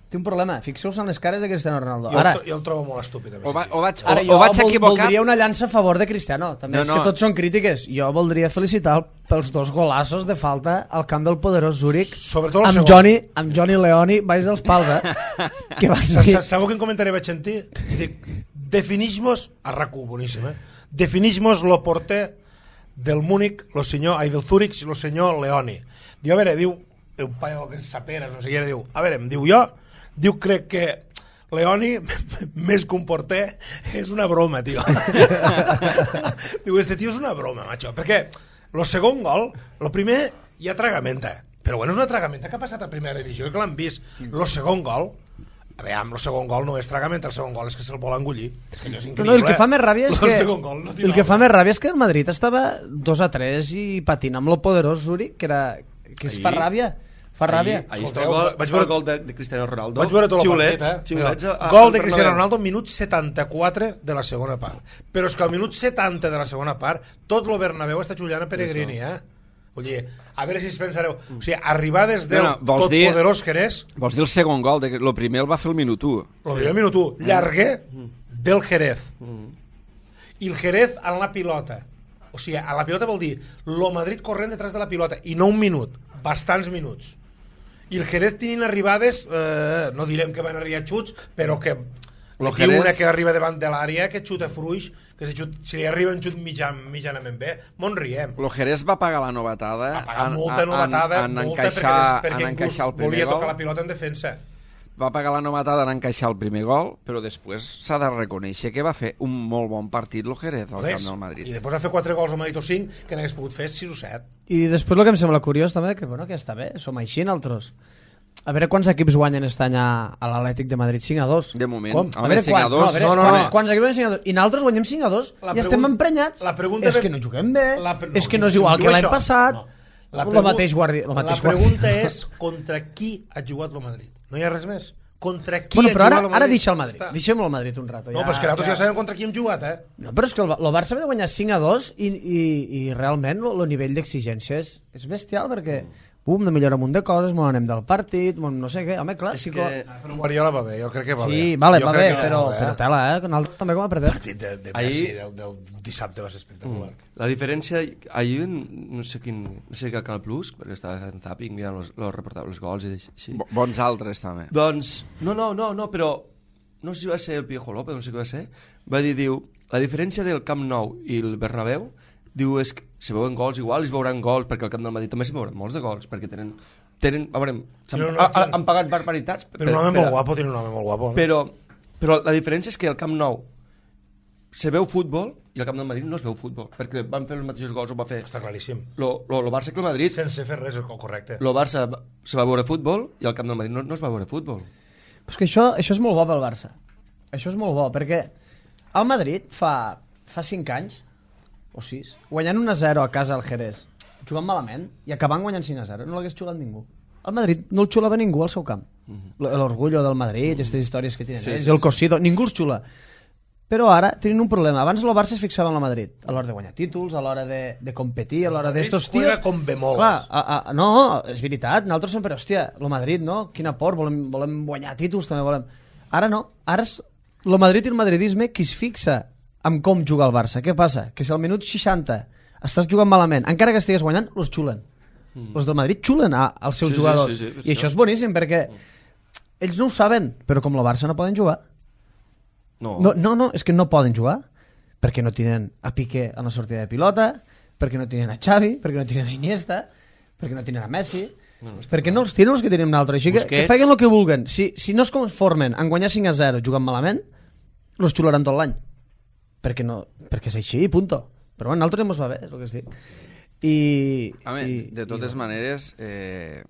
té un problema, fixeu-vos en les cares de Cristiano Ronaldo. Jo, ara, el, jo el trobo molt estúpid. O, va, o vaig, o, ara o jo vaig vol, equivocar... voldria una llança a favor de Cristiano. També no, és no. que tots són crítiques. Jo voldria felicitar pels dos golassos de falta al camp del poderós Zúrich amb Johnny, amb Johnny Leoni baix dels pals, eh? Que van dir... Sabeu quin comentari vaig sentir? Dic, definix-mos, a R A C U, boníssim, eh? Definix-mos lo porter del Múnich, lo senyor, ai, del Zúrich, lo senyor Leoni. Diu, a veure, diu, un paio que s'aperes, no sé què, diu, a veure, em diu jo, diu, crec que Leoni, més que un porter, és una broma, tio. Diu, este tio és una broma, macho. Perquè el segon gol, el primer ja tragamenta, però bueno, és una tragamenta que ha passat a primera divisió, que l'han vist. El segon gol, a veure, el segon gol no és tragamenta, el segon gol és que se'l vol engolir. És no, no, el que fa més ràbia és que, el gol, no el que fa més ràbia és que el Madrid estava dos a tres i patint amb el poderós Zúrich, que, era, que es fa ràbia. Fa ràbia. Ahí, ahí està el gol, vaig veure el gol de, de Cristiano Ronaldo. Vaig veure tot el xiulets, partit, eh? Xiulets a, a, gol de Cristiano Ronaldo, minut setanta-quatre de la segona part. Però és que al minut setanta de la segona part, tot lo Bernabéu està xullant a Peregrini, eh? Vull dir, a veure si es pensareu... O sigui, arribar des del no, no, tot dir, poderós que eres... Vols dir el segon gol? De, el primer el va fer el minut u. El primer sí. minut u. Llarguer del Jerez. I el Jerez en la pilota. O sigui, a la pilota vol dir lo Madrid corrent detrás de la pilota. I no un minut, bastants minuts. I el Jerez tenint arribades, eh, no direm que van arribar xuts, però que aquí Jerez... una que arriba davant de l'àrea, que xuta fruix, que si, xut, si li arriba un xut mitjan, mitjanament bé, mon riem. El Jerez va pagar la novetada. Va pagar molta novetada, en, en, molta encaixar, perquè, perquè en el volia gol. tocar la pilota en defensa. Va pagar la novetada en encaixar el primer gol, però després s'ha de reconèixer que va fer un molt bon partit el Jerez al camp del Madrid. I després va fer quatre gols al Madrid o cinc, que n'hagués pogut fer sis o set. I després el que em sembla curiós també, que, bueno, que està bé, som així nosaltres. A veure quants equips guanyen aquest any a, a l'Atlètic de Madrid, cinc a dos. De moment. Com? A veure, cinc a dos. No, a veure, no, no, quants, no. quants equips guanyen cinc a dos? I nosaltres guanyem cinc a dos i pregun... estem emprenyats. La pregunta és que no juguem bé, pre... no, és que no és igual que l'any passat. No. La, pregu... mateix guardi... la, mateix la pregunta és contra qui ha jugat el Madrid. No hi ha res més. Contra qui bueno, ha però jugat ara, el Madrid? ara deixa el Madrid. Deixem el Madrid un rato. No, ja, però és que nosaltres ja... ja sabem contra qui hem jugat, eh? No, però és que el, el Barça va de guanyar cinc a dos i, i, i realment el nivell d'exigència és, és bestial perquè pum, de millorar un munt de coses, m'ho anem del partit, no sé què, home, clar... És sí que... Però Guardiola va bé, jo crec que va sí, bé. Sí, vale, jo va bé, que però, bé, però tela, eh, que nosaltres també com a perdem. El partit de, de Messi ahir... del, del dissabte va ser espectacular. Mm. La diferència, ahir, no sé quin, no sé què Canal Plus, perquè estava en Zapping mirant els, els reportables, els gols i així. Bons altres, també. Doncs, no, no, no, no, però no sé si va ser el Piejo López, no sé què va ser, va dir, diu, la diferència del Camp Nou i el Bernabéu, diu, és que se veuen gols igual, es veuran gols, perquè al Camp del Madrid també se veuran molts de gols, perquè tenen... tenen a veure, han, no, no, han, han pagat barbaritats. Però un home molt guapo, tiene un home molt guapo. No? Però, però la diferència és que al Camp Nou se veu futbol i al Camp del Madrid no es veu futbol, perquè van fer els mateixos gols, ho va fer... Està claríssim. Lo, lo, lo Barça que el Madrid... Sense fer res, correcte. Lo Barça se va veure futbol i al Camp del Madrid no, no es va veure futbol. Però és que això, això és molt bo pel Barça. Això és molt bo, perquè el Madrid fa, fa cinc anys o sis, guanyant un a zero a casa al Jerez, jugant malament i acabant guanyant cinc a zero, no l'hagués xulat ningú. El Madrid no el xulava ningú al seu camp. Uh-huh. L'orgullo del Madrid, aquestes històries que tenen sí, ells, sí, el cosido, sí. Ningú els xula. Però ara tenen un problema. Abans el Barça es fixava en el Madrid, a l'hora de guanyar títols, a l'hora de, de competir, a l'hora d'estos tios... Juega con bemoles. Clar, a, a, no, és veritat, nosaltres sempre, hòstia, el Madrid, no? Quina por, volem, volem guanyar títols, també volem... Ara no, ara és el Madrid i el madridisme qui es fixa en com juga el Barça. Què passa? Que si al minut seixanta estàs jugant malament, encara que estigues guanyant, els xulen. Mm. Els del Madrid xulen a, als seus sí, jugadors. Sí, sí, sí, I això és boníssim, perquè ells no ho saben, però com el Barça no poden jugar. No. No, no, no, és que no poden jugar, perquè no tenen a Piqué en la sortida de pilota, perquè no tenen a Xavi, perquè no tenen a Iniesta, perquè no tenen a Messi... No, no perquè no els tenen els que tenim nosaltres, així que, que facin el que vulguen. Si, si no es conformen en guanyar cinc a zero jugant malament, els xularan tot l'any, perquè, no, perquè és així, punto. Però bueno, nosaltres ens va bé, és el que es dic. I, Home, i, de totes i, maneres eh,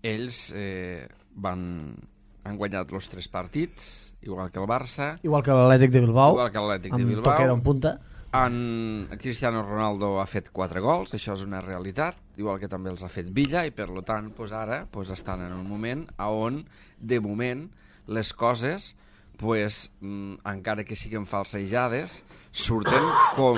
ells eh, van, han guanyat els tres partits igual que el Barça, igual que l'Atlètic de Bilbao, igual que l'Atlètic de amb Bilbao, Toquero en punta. En Cristiano Ronaldo ha fet quatre gols, això és una realitat, igual que també els ha fet Villa, i per lo tant pues ara pues estan en un moment on, de moment, les coses, pues, mm, encara que siguin falsejades, surten com,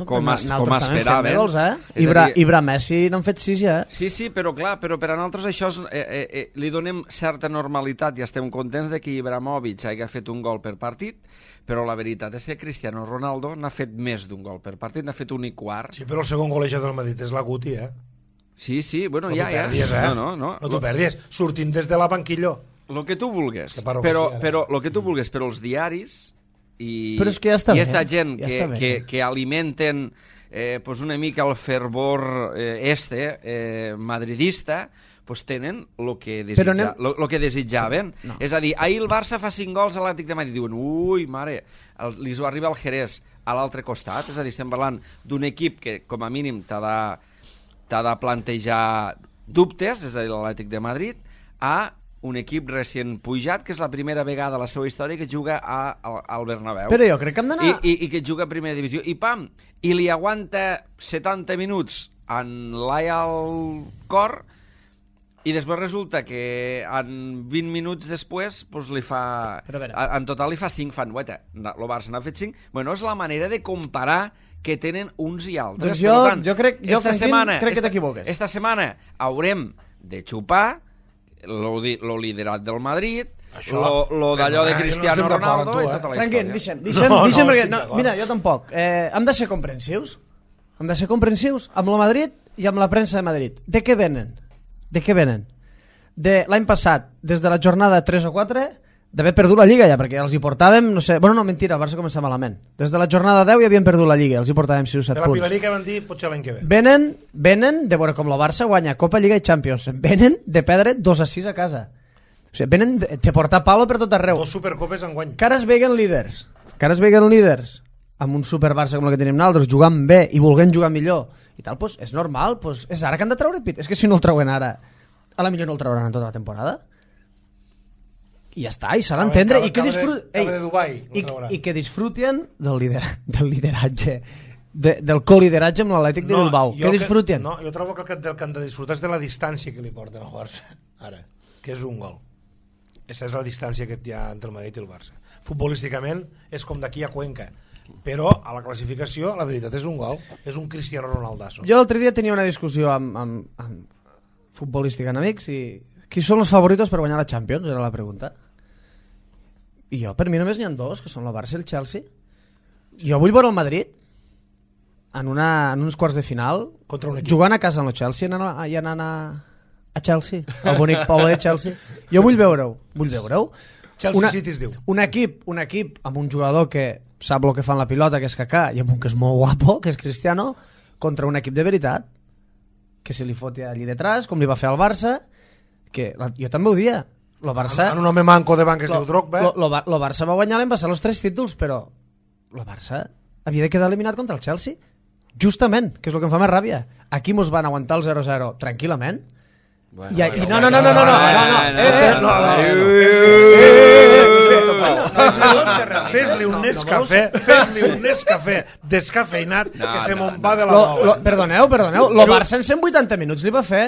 com, es, com esperaven. Gols, eh? Ibra, dir... Ibra Messi n'han fet sis ja. Sí, sí, però clar, però per a nosaltres això és, eh, eh, eh, li donem certa normalitat i estem contents de que Ibrahimovic hagi fet un gol per partit, però la veritat és que Cristiano Ronaldo n'ha fet més d'un gol per partit, n'ha fet un i quart. Sí, però el segon golejat del Madrid és la Guti, eh? Sí, sí, bueno, no ja, ja. Perdies, eh? No, no, no. No t'ho perdies, sortint des de la banquillo. Lo que tu vulgues, que però, però, lo que tu vulgues, però els diaris i, però és que ja està i bé, esta gent ja que, que, que alimenten eh, pues una mica el fervor eh, este eh, madridista, pues tenen el que, desitja, anem... lo, lo que desitjaven. No. És a dir, ahir el Barça fa cinc gols a l'Atlètic de Madrid, diuen, ui, mare, el, li ho arriba el Jerez a l'altre costat, és a dir, estem parlant d'un equip que com a mínim t'ha de, t'ha de plantejar dubtes, és a dir, l'Atlètic de Madrid, a un equip recient pujat, que és la primera vegada a la seva història que juga a, a, al Bernabéu. Però jo crec que hem d'anar... I, i, I que juga a primera divisió. I pam, i li aguanta setanta minuts en l'Aia al cor, i després resulta que en vint minuts després pues, li fa... En total li fa cinc, fan, guaita, el Barça n'ha fet cinc. Bueno, és la manera de comparar que tenen uns i altres. Doncs jo, tant, jo crec, jo, esta Franquín, setmana, crec que esta, t'equivoques. Esta setmana haurem de xupar lo, lo liderat del Madrid, això, lo, lo d'allò de Cristiano no Ronaldo tu, eh? I tota la Franquín, història. deixa'm, deixa'm, no, deixa'm no, perquè, no, mira, jo tampoc. Eh, hem de ser comprensius. Hem de ser comprensius amb el Madrid i amb la premsa de Madrid. De què venen? De què venen? De l'any passat, des de la jornada tres o quatre, d'haver perdut la Lliga ja, perquè els hi portàvem, no sé... Bueno, no, mentira, el Barça comença malament. Des de la jornada deu ja havien perdut la Lliga, els hi portàvem sis o set punts. De la Pilarí que van dir, potser l'any que ve. Venen, venen de veure com la Barça guanya Copa, Lliga i Champions. Venen de perdre dos a sis a casa. O sigui, venen de, de portar palo per tot arreu. Dos supercopes en guany. Que ara es veguen líders. Que ara es veguen líders amb un super Barça com el que tenim nosaltres, jugant bé i volent jugar millor. I tal, doncs, és normal, doncs, és ara que han de treure pit. És que si no el treuen ara, a la millor no el trauran en tota la temporada. I ja està, i s'ha d'entendre i que disfruten de, de Dubai, i, i que disfruten del, lider, del lideratge de, del colideratge amb l'Atlètic de Bilbao, que disfruten que, no, jo trobo que el que han de disfrutar és de la distància que li porten al Barça ara, que és un gol. Aquesta és la distància que hi ha entre el Madrid i el Barça. Futbolísticament és com d'aquí a Cuenca, però a la classificació la veritat és un gol, és un Cristiano Ronaldazo. Jo l'altre dia tenia una discussió amb, amb, amb futbolística en amics i qui són els favoritos per guanyar la Champions? Era la pregunta. I jo, per mi només n'hi ha dos, que són el Barça i el Chelsea. Jo vull veure el Madrid en, una, en uns quarts de final jugant a casa amb el Chelsea i anant a, anant a, a Chelsea, al bonic poble de Chelsea. Jo vull veure-ho, vull veure-ho. Chelsea una, City es diu. Un equip, un equip amb un jugador que sap el que fa en la pilota, que és Kaká, i amb un que és molt guapo, que és Cristiano, contra un equip de veritat, que se li foti allí detrás, com li va fer al Barça, que la, jo també ho dia, el Barça... En un home manco de banc que es diu Drogba. El Barça va guanyar l'any passat els tres títols, però el Barça havia de quedar eliminat contra el Chelsea. Justament, que és el que em fa més ràbia. Aquí mos van aguantar el zero zero tranquil·lament. Bueno, I, bueno, i no, no, no, no, no, no, no, no, no, Fes-li un Nescafé, fes-li un Nescafé descafeinat que se me'n va de la bola. Perdoneu, perdoneu, el Barça en cent vuitanta minuts li va fer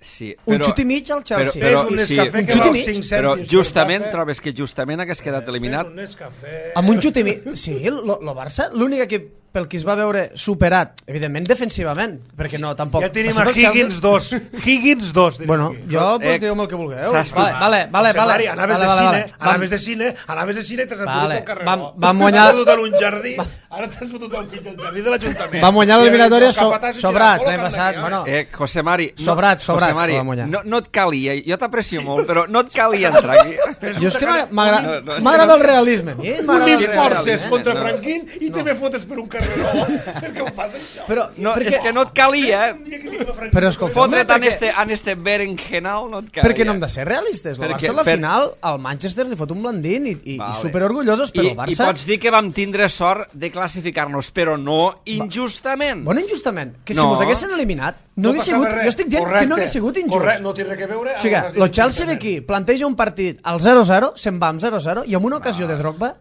Sí, un però, xut i mig al Chelsea. però, Fes un sí, Nescafé un que xut i val mig. cinc però cèntims. justament trobes que justament hagués quedat eliminat. Fes un Nescafé. Amb un xut i mig. Sí, el Barça, l'únic equip pel que es va veure superat, evidentment defensivament, perquè no, tampoc... Ja tenim a Higgins dos. Higgins dos. Bueno, jo, pues, Eh, digue'm el que vulgueu. saps tu- Vale, vale, vale. José vale, Mari, anaves vale, de vale, cine, vale. anaves de cine, anaves de cine i t'has Vale, fotut el carreró. vam- vam guanyar- T'has fotut en un jardí, ara t'has fotut al mig del jardí de l'Ajuntament. Vam guanyar l'eliminatòria so, Capataz i sobrats tira, l'any bola, passat. Carme, Bueno, Eh, José Mari... No, Sobrats, sobrats, José Mari, se va guanyar. no, no et calia, jo t'aprecio molt, però no et calia entrar aquí. jo és que m'agra- m'agra- No, no, és que m'agrada no- el realisme. a mi M'agrada Ni el realisme. forces contra No. Franquín i te me fotes per un carreró. Per què ho fas, això? Però, No, perquè, és que no et calia, eh? Un dia que dic a Franquín, però escolta'm, Fotre't en perquè, este, en este berenjenal no et calia. perquè no hem de ser realistes. El Perquè- Barça a la per- final, al Manchester li fot un blandín i, i, Vale. i superorgullosos, però I, el I Barça... pots dir que vam tindre sort de classificar-nos, però no injustament. Bueno, injustament, que si No. mos haguessin eliminat, no, hagués passava sigut... res. Jo estic dient Correcte. que no hagués sigut injust. Correcte, no té res a veure O sigui, amb les el Chelsea ve injustament. aquí, planteja un partit al zero zero, se'n va amb zero zero, i amb una ocasió de Drogba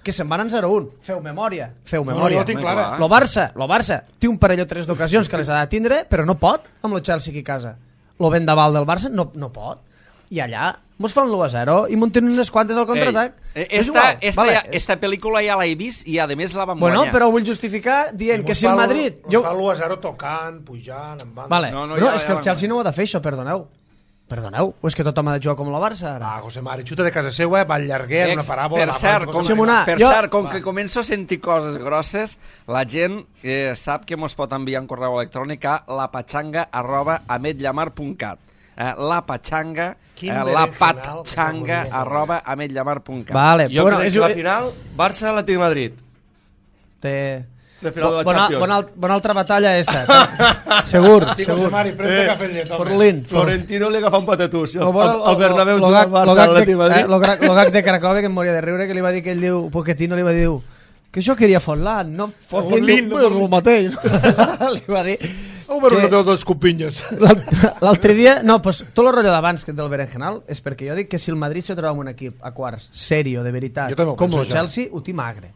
que se'n van en zero un. Feu memòria, feu No, no, memòria. jo ho tinc clara. Lo Barça, lo Barça té un parell o tres d'ocasions que les ha de tindre, però no pot amb el Chelsea aquí a casa. Lo vendaval del Barça no, no pot. I allà mos fan l'u a zero i munten unes quantes al contraatac. Ei, És esta, igual, esta, vale, ja, és- esta pel·lícula ja l'he vist i a més la vam Bueno, guanyar. però ho vull justificar dient que si el Madrid... Jo... fa l'u a zero tocant, pujant, en banda. Vale, No, no, no, no, ja- és ja que el vam Chelsea guanyar. no ho ha de fer, això, perdoneu. Perdoneu, o és que tothom ha de jugar com la Barça, ara? Va, José Mari, xuta de casa seva, va al llarguer, en una Ex- paràbola... per va, cert, va, com, José Mari, Simonar, va. per jo- cert, com Va. que començo a sentir coses grosses, la gent eh, sap que mos pot enviar un correu electrònic a lapatxanga arroba ametllamar punt cat. Eh, lapatxanga, Quin eh, berenjenal lapatxanga que s'ha arroba ametllamar punt cat. Vale, Jo bueno, crec és, que la final, Barça-Atlètic de Madrid. té... De final de la bona, Champions. bona, alt- bona altra batalla esta. segur, Sí, José segur. Mari, pren-te Eh, cafè amb llet, home. Forlín. Florentino li agafa un patatús. Lo Al, bueno, al Bernabéu lo- lo juga al gag- lo Barça, gag l'Atlètic de- de Madrid. eh, Lo gra- lo gag de Cracòvia que em moria de riure, que li va dir que ell diu, Pochettino li va dir que jo queria Forlán, no Forlín, Forlín, no no, el mateix. li va dir Oh, però que- no té dos copinyes. L'alt- l'altre dia, no, pues, tot el rotllo d'abans que del berenjenal és perquè jo dic que si el Madrid se troba amb un equip a quarts, serio, de veritat, Jo també ho com penso, el ja. Chelsea, ho tinc magre.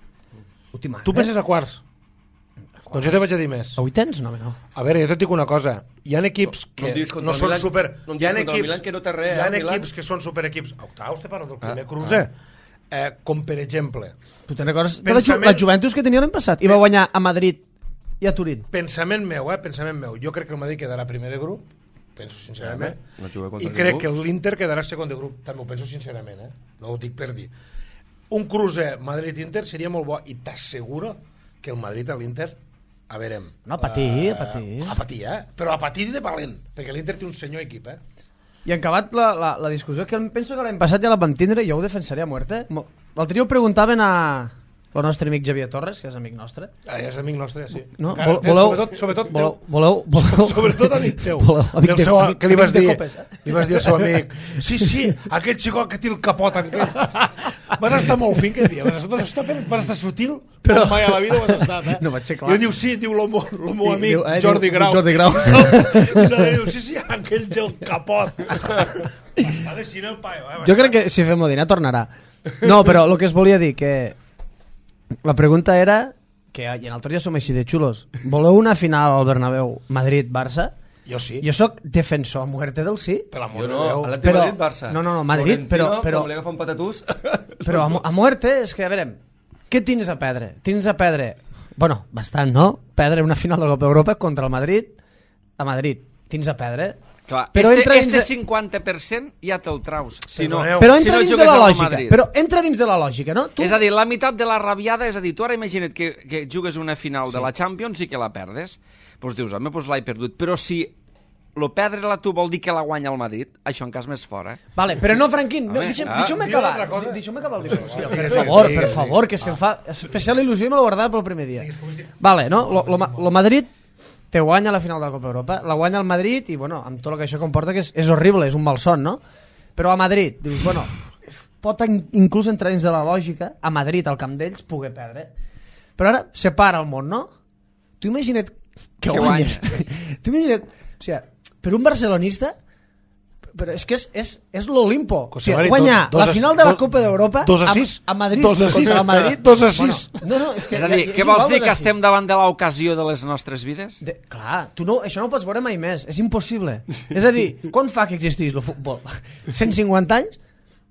Ho tinc magre. Tu penses a quarts? Doncs jo te vaig a dir més. A vuitens? No, home, no. A veure, jo et dic una cosa. Hi ha equips No em que diguis contra no el són Milan, super... no em Hi ha diguis contra el equips, Milan, que no té res, hi ha eh, Milan. equips que són superequips... Octaus, te parlo del primer cruce. Eh, com per exemple, Tu te'n recordes de la, Ju Pensament- la Juventus que tenia l'any passat? I va guanyar a Madrid i a Turín. pensament meu, eh, pensament meu. Jo crec que el Madrid quedarà primer de grup, penso sincerament, No juga contra i crec ningú. que l'Inter quedarà segon de grup, també ho penso sincerament, eh? No ho dic per dir. Un cruce Madrid-Inter seria molt bo, i t'asseguro que el Madrid a l'Inter a veure... No, a patir, a patir. A patir, eh? Però a patir de valent, perquè l'Inter té un senyor equip, eh? I en acabat la, la, la discussió, que penso que l'any passat ja la vam tindre i jo ho defensaré a muerte. Mo- L'altre dia ho preguntaven a el nostre amic Javier Torres, que és amic nostre. Ah, és amic nostre, sí. No? Encara, Vol, té- voleu, sobretot, sobretot voleu, teu. voleu, voleu, Sobretot amic teu. Voleu, amic Del de- seu, amic- que li vas amic de dir, copes, eh? li vas dir al seu amic, sí, sí, aquell xicot que té el capot aquell. Vas estar molt fin aquell dia, vas estar, vas estar, vas estar sutil, però mai a la vida ho has estat, eh? No vaig ser clar. I ell diu, sí, diu el meu, el meu I amic diu, eh, Jordi diu, Grau. Jordi Grau. I la diu, sí, sí, aquell del capot. Està de cine el paio, eh? Jo crec que si fem Modina tornarà. No, però el que es volia dir, que la pregunta era, que i en altres ja som així de xulos, voleu una final al Bernabéu Madrid-Barça? Jo sí, Jo sóc defensor a muerte del sí, per l'amor Jo de no, Déu. Atlètic Però- de Madrid, Barça. no, no, no, Madrid, però- però- Com li agafa un patatús... però a, mu- a muerte és que, a veure, què tens a perdre? Tens a perdre, bueno, bastant, no? Perdre una final de la Copa Europa contra el Madrid a Madrid. Tens a perdre. Clar, Però este, entra dins este de- cinquanta per cent ja te'l traus. Si no, Perdoneu. Però si entra no dins de jugues la al lògica. Madrid. Però entra dins de la lògica, no? Tu... És a dir, la meitat de la rabiada, és a dir, tu ara imagina't que, que jugues una final sí. de la Champions i que la perdes. Doncs dius, home, doncs l'he perdut. Però si lo perdre-la tu vol dir que la guanya el Madrid? Això en cas més fora. Eh? Vale, però no, Franquín, no, Home, deixa'm, ah, deixa'm digue acabar. altra cosa. Deixa'm acabar el discurs. No, Per digues, favor, digues, per digues. favor, que és que em fa especial il·lusió i me l'ho guardava pel primer dia. Vale, no? Lo, lo, lo Madrid te guanya la final de la Copa Europa, la guanya el Madrid i, bueno, amb tot el que això comporta, que és, és horrible, és un malson, no? Però a Madrid, dius, bueno, pot inclús entrar dins de la lògica a Madrid, al camp d'ells, poder perdre. Però ara separa el món, no? Tu imagina't que, que guanyes. Tu imagina't, o sigui, per un barcelonista, però és que és, és, és l'Olimpo. O sigui, guanyar dos, dos la final de la Copa d'Europa a, a Madrid dos a sis. contra el Madrid. dos a sis. Bueno, no, no, és, que És a dir, ja, què vols dir, que estem davant de l'ocasió de les nostres vides? De, clar, tu no, això no ho pots veure mai més, és impossible. És a dir, quan fa que existís el futbol? cent cinquanta anys?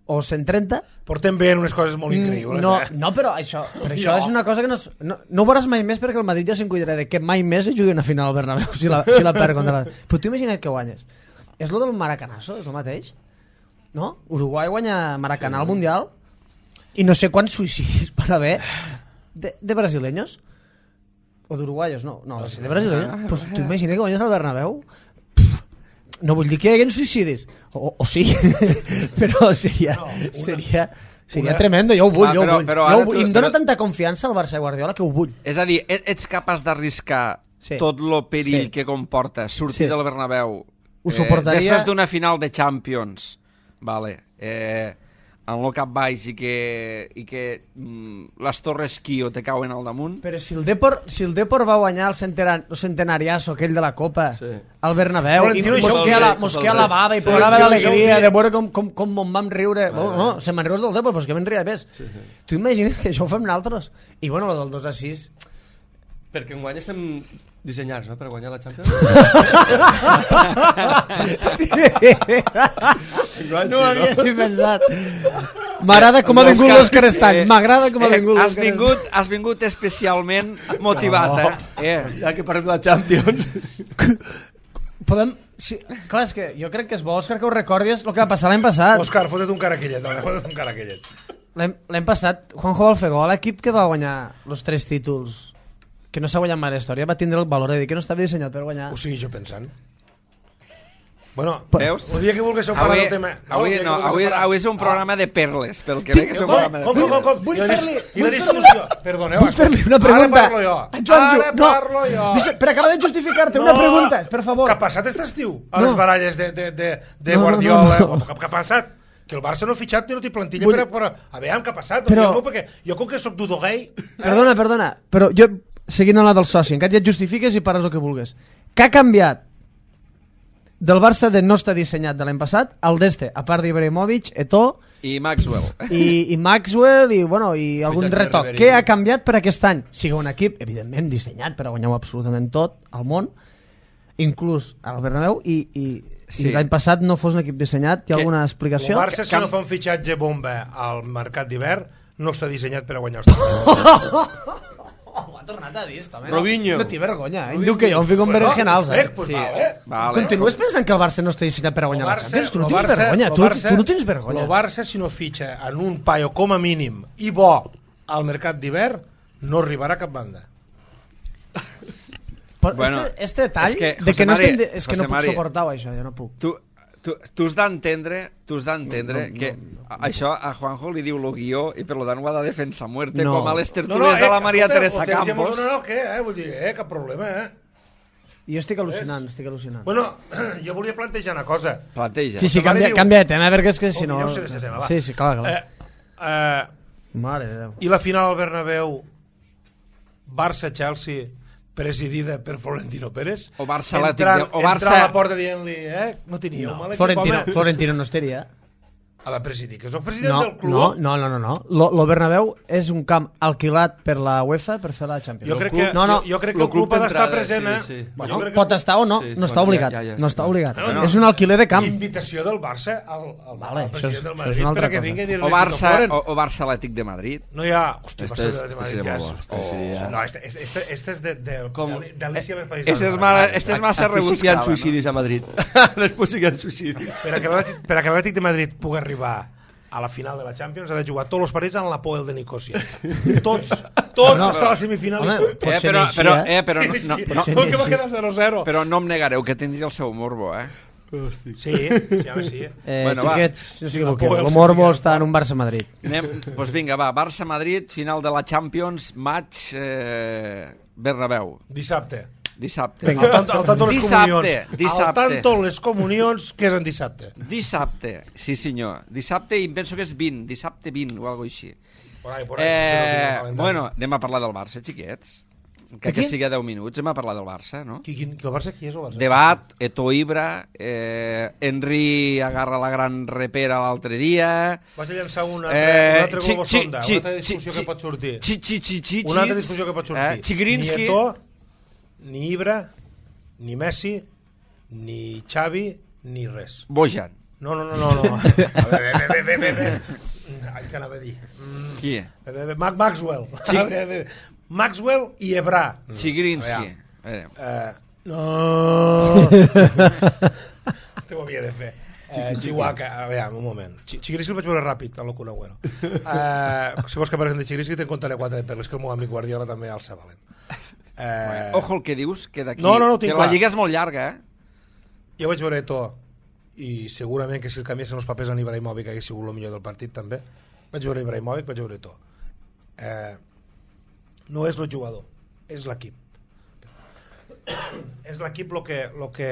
O cent trenta? Portem veient unes coses molt increïbles. No, eh? no, però això, però això és una cosa que no, es- no, no ho veuràs mai més perquè el Madrid ja se'n cuidarà de que mai més es jugui una final al Bernabéu si la, si la perd contra la... Però tu imagina't que guanyes. És lo del Maracanazo, és el mateix? No? Uruguai guanya Maracanà al Mundial i no sé quants suïcidis van haver de, de brasileños o d'uruguaios, no, no, de brasileños. Pues tu imagina't que guanyes al Bernabéu. No vull dir que hi haguin suïcidis, o, o sí, però seria, No, una- seria, seria una- tremendo, jo ho vull, Ah, jo ho però- vull. però Jo ho ara vull. tu- I em dóna però- tanta confiança el Barça i Guardiola que ho vull. És a dir, e- ets capaç d'arriscar Sí. tot lo perill Sí. que comporta sortir Sí. del Bernabéu Ho suportaria- després d'una final de Champions, vale, eh, en lo cap baix i que, i que mm, les torres Kio te cauen al damunt. Però si el Depor, si el Depor va guanyar el, centenar, el centenariasso aquell de la Copa Sí. al Bernabéu, i Florentino, això mosquea, ho la, sé, mosquea ho la sé. bava i Sí, plorava això ho d'alegria sé. de veure com, com, com me'n vam riure. Bueno, no, se me'n rius del Depor, però és que me'n ria més. Sí, sí. Tu imagina't que això ho fem nosaltres. I bueno, lo del dos a sis... Perquè enguany estem dissenyats, no?, per guanyar la Champions. Sí. Enguany No sí, ho havia no? ni pensat. M'agrada com ha vingut l'Òscar Estany. M'agrada com ha vingut Eh, has l'Òscar vingut, has vingut especialment motivat, eh? eh? Ja que parlem de la Champions. Podem... Sí, clar, és que jo crec que és bo, Òscar, que ho recordis el que va passar l'any passat. Òscar, fota't un caraquillet, home, fota't un caraquillet. L'any l'any passat, Juanjo Balfegó, l'equip que va guanyar els tres títols, que no s'ha guanyat mai a la història, va tindre el valor de dir que no estava dissenyat per guanyar. Ho sigui jo pensant. Bueno, Veus? el dia que vulguis parlar Avui, del tema... avui, el dia que no, vulguis avui, parlar- avui és un programa de perles, pel que veig que és un Com, programa de com, com, com, perles. com? Vull I la dis- fer-li- I la vull discussió... Perdoneu, Vull fer-li una pregunta. Ara parlo jo. En Joan, Ara no. parlo jo. Deixa, per acabar de justificar-te, una pregunta, per favor. Què ha passat aquest estiu? A No. les baralles de, de, de, de No, no, Guardiola. no, no. Què, què ha passat? Que el Barça no ha fitxat ni no té plantilla Vull- per, per... A veure, què ha passat? Però- Jo, perquè jo com que soc dudo gay... Perdona, perdona, però jo, seguint a la del soci, encara ja et justifiques i pares el que vulguis. Què ha canviat del Barça de no estar dissenyat de l'any passat al d'este, a part d'Ibrahimovic, Eto'o I Maxwell. i, i Maxwell i, bueno, i algun Fitxatge de retoc. Ribery. Què ha canviat per aquest any? Sigui un equip, evidentment, dissenyat per a guanyar absolutament tot al món, inclús al Bernabéu, i, i, Sí. i l'any passat no fos un equip dissenyat. Hi ha Que- alguna El explicació? Barça, si Camp- no fa un fitxatge bomba al mercat d'hivern, no està dissenyat per a guanyar els trofeus. Oh, ho ha tornat a dir, home. Robinho. No té vergonya, eh? Em diu que jo em fico en berenjenals, eh? Eh, pues Sí. vale. Vale. Continues pensant que el Barça no està dissenyat per a guanyar Lo la Barça- Champions? Tu no lo tens Barça- vergonya, lo tu, Barça- tu no tens vergonya. El Barça, si no fitxa en un paio com a mínim i bo al mercat d'hivern, no arribarà a cap banda. Però Bueno, este, este detall és que, de que José no Mari, estem... De, és que José no puc Mari, suportar això, jo no puc. Tu, tu, tu has d'entendre tu has d'entendre que a- això a Juanjo li diu lo guió i per lo tant ho ha de defensar a muerte No. com a les tertúlies de la Maria escolta, Teresa el temps ja mos Campos. donarà el què, eh? Vull dir, eh? Cap problema, eh? Jo estic al·lucinant, estic al·lucinant. Bueno, jo volia plantejar una cosa. Planteja. Sí, sí, José Mari canvia, diu- canvia de tema, perquè és que si Oh, no... jo sé d'este tema, va. Sí, sí, clar, clar. Eh, eh, Mare de Déu. I la final al Bernabéu, Barça-Chelsea, presidida per Florentino Pérez, O Barça Atlètic entrant, de- o Barça- entrant a la porta dient-li, eh, no teníeu No, mal equip, Florentino, home. Florentino no estaria. Ha de presidir, que és el president No, del club. no, no, no, no, no. Lo, lo Bernabéu és un camp alquilat per la UEFA per fer la Champions. Jo crec que, no, no. jo, jo crec que Lo el club club ha d'estar d'entrada, present, eh? sí, sí. Bueno, Jo crec que- pot estar o no, Sí, no està bueno, obligat. ja- ja- ja no està. està obligat. Bueno, és un alquiler de camp. Invitació del Barça al, al, Vale, al això és- president del això és Madrid una altra perquè cosa. vingui a dir-li O Barça, Floren. o, o Barça Atlètic de Madrid. No hi ha... Hòstia, Este Barça és- de este Madrid seria ja molt és- bo, este seria- No, este, este, este, este és de, de, Com- de, d'Alícia més País. Este és, ma, este és massa Aquí sí que hi ha rebuscada, suïcidis a Madrid. Després sí que hi ha suïcidis. Per a que l'Atlètic- per a que l'Atlètic de Madrid pugui arribar a la final de la Champions ha de jugar tots els partits en la Poel de Nicòsia. Tots. tots no, està a la semifinal. Home, I... pot Eh, ser però, així, però, eh? eh, però, no, no, no, Com que va quedar zero zero? però no em negareu que tindria el seu morbo, eh? Sí, sí, home, sí. Eh, Bueno, va. xiquets, no Sí, s'equivoqueu. la por, El el Morbo certificat. està en un Barça-Madrid. Anem, doncs vinga, va, Barça-Madrid, final de la Champions, maig eh, Bernabéu, Dissabte. dissabte. Vinga. Al tanto, al tanto les Dissabte, comunions. dissabte. Al tanto les comunions, que és en dissabte. Dissabte, sí senyor. Dissabte i em penso que és vint, dissabte vint o alguna així. Por ahí, por ahí, no sé, no tinc el Eh, calendari. bueno, anem a parlar del Barça, xiquets. Que, De que qui? sigui deu minuts, hem a parlar del Barça, no? Qui, qui, qui, el Barça, qui és el Barça? Debat, Eto'o Ibra, eh, Henry agarra la gran repera l'altre dia... Vas a llançar un altre, Eh, un altre xi- globo xi- sonda, xi- una altra discussió xi- que pot sortir. Xi, xi, xi, xi, Una altra discussió que pot sortir. Eh? Chigrinsky... Ni Eto'o, ni Ibra, ni Messi, ni Xavi, ni res. Bojan. No, no, no, no. no. A veure, bé, bé, bé, bé, bé. Ai, què anava a dir? Mm, Qui? bé, bé, bé, Mac Maxwell. Chi- A veure, bé. Maxwell i Ebra. Chigrinsky. A Eh, Eh, no. Te ho havia de fer. Eh, Chihuahua, a veure, un moment. Chi- Chigrinsky el vaig veure ràpid, a l'Ocuna Agüero. Eh, si vols que parlem de Chigrinsky, te'n contaré quatre de perles, que el meu amic Guardiola també alça valent. Eh, Ojo el que dius, que d'aquí... No, no, no ho tinc que la clar. lliga és molt llarga, eh? Jo vaig veure Eto'o i segurament que si el canviessin els papers en Ibrahimovic hagués sigut el millor del partit també. Vaig veure Ibrahimovic, vaig veure Eto'o. Eh, no és el jugador, és l'equip. És l'equip el que, lo que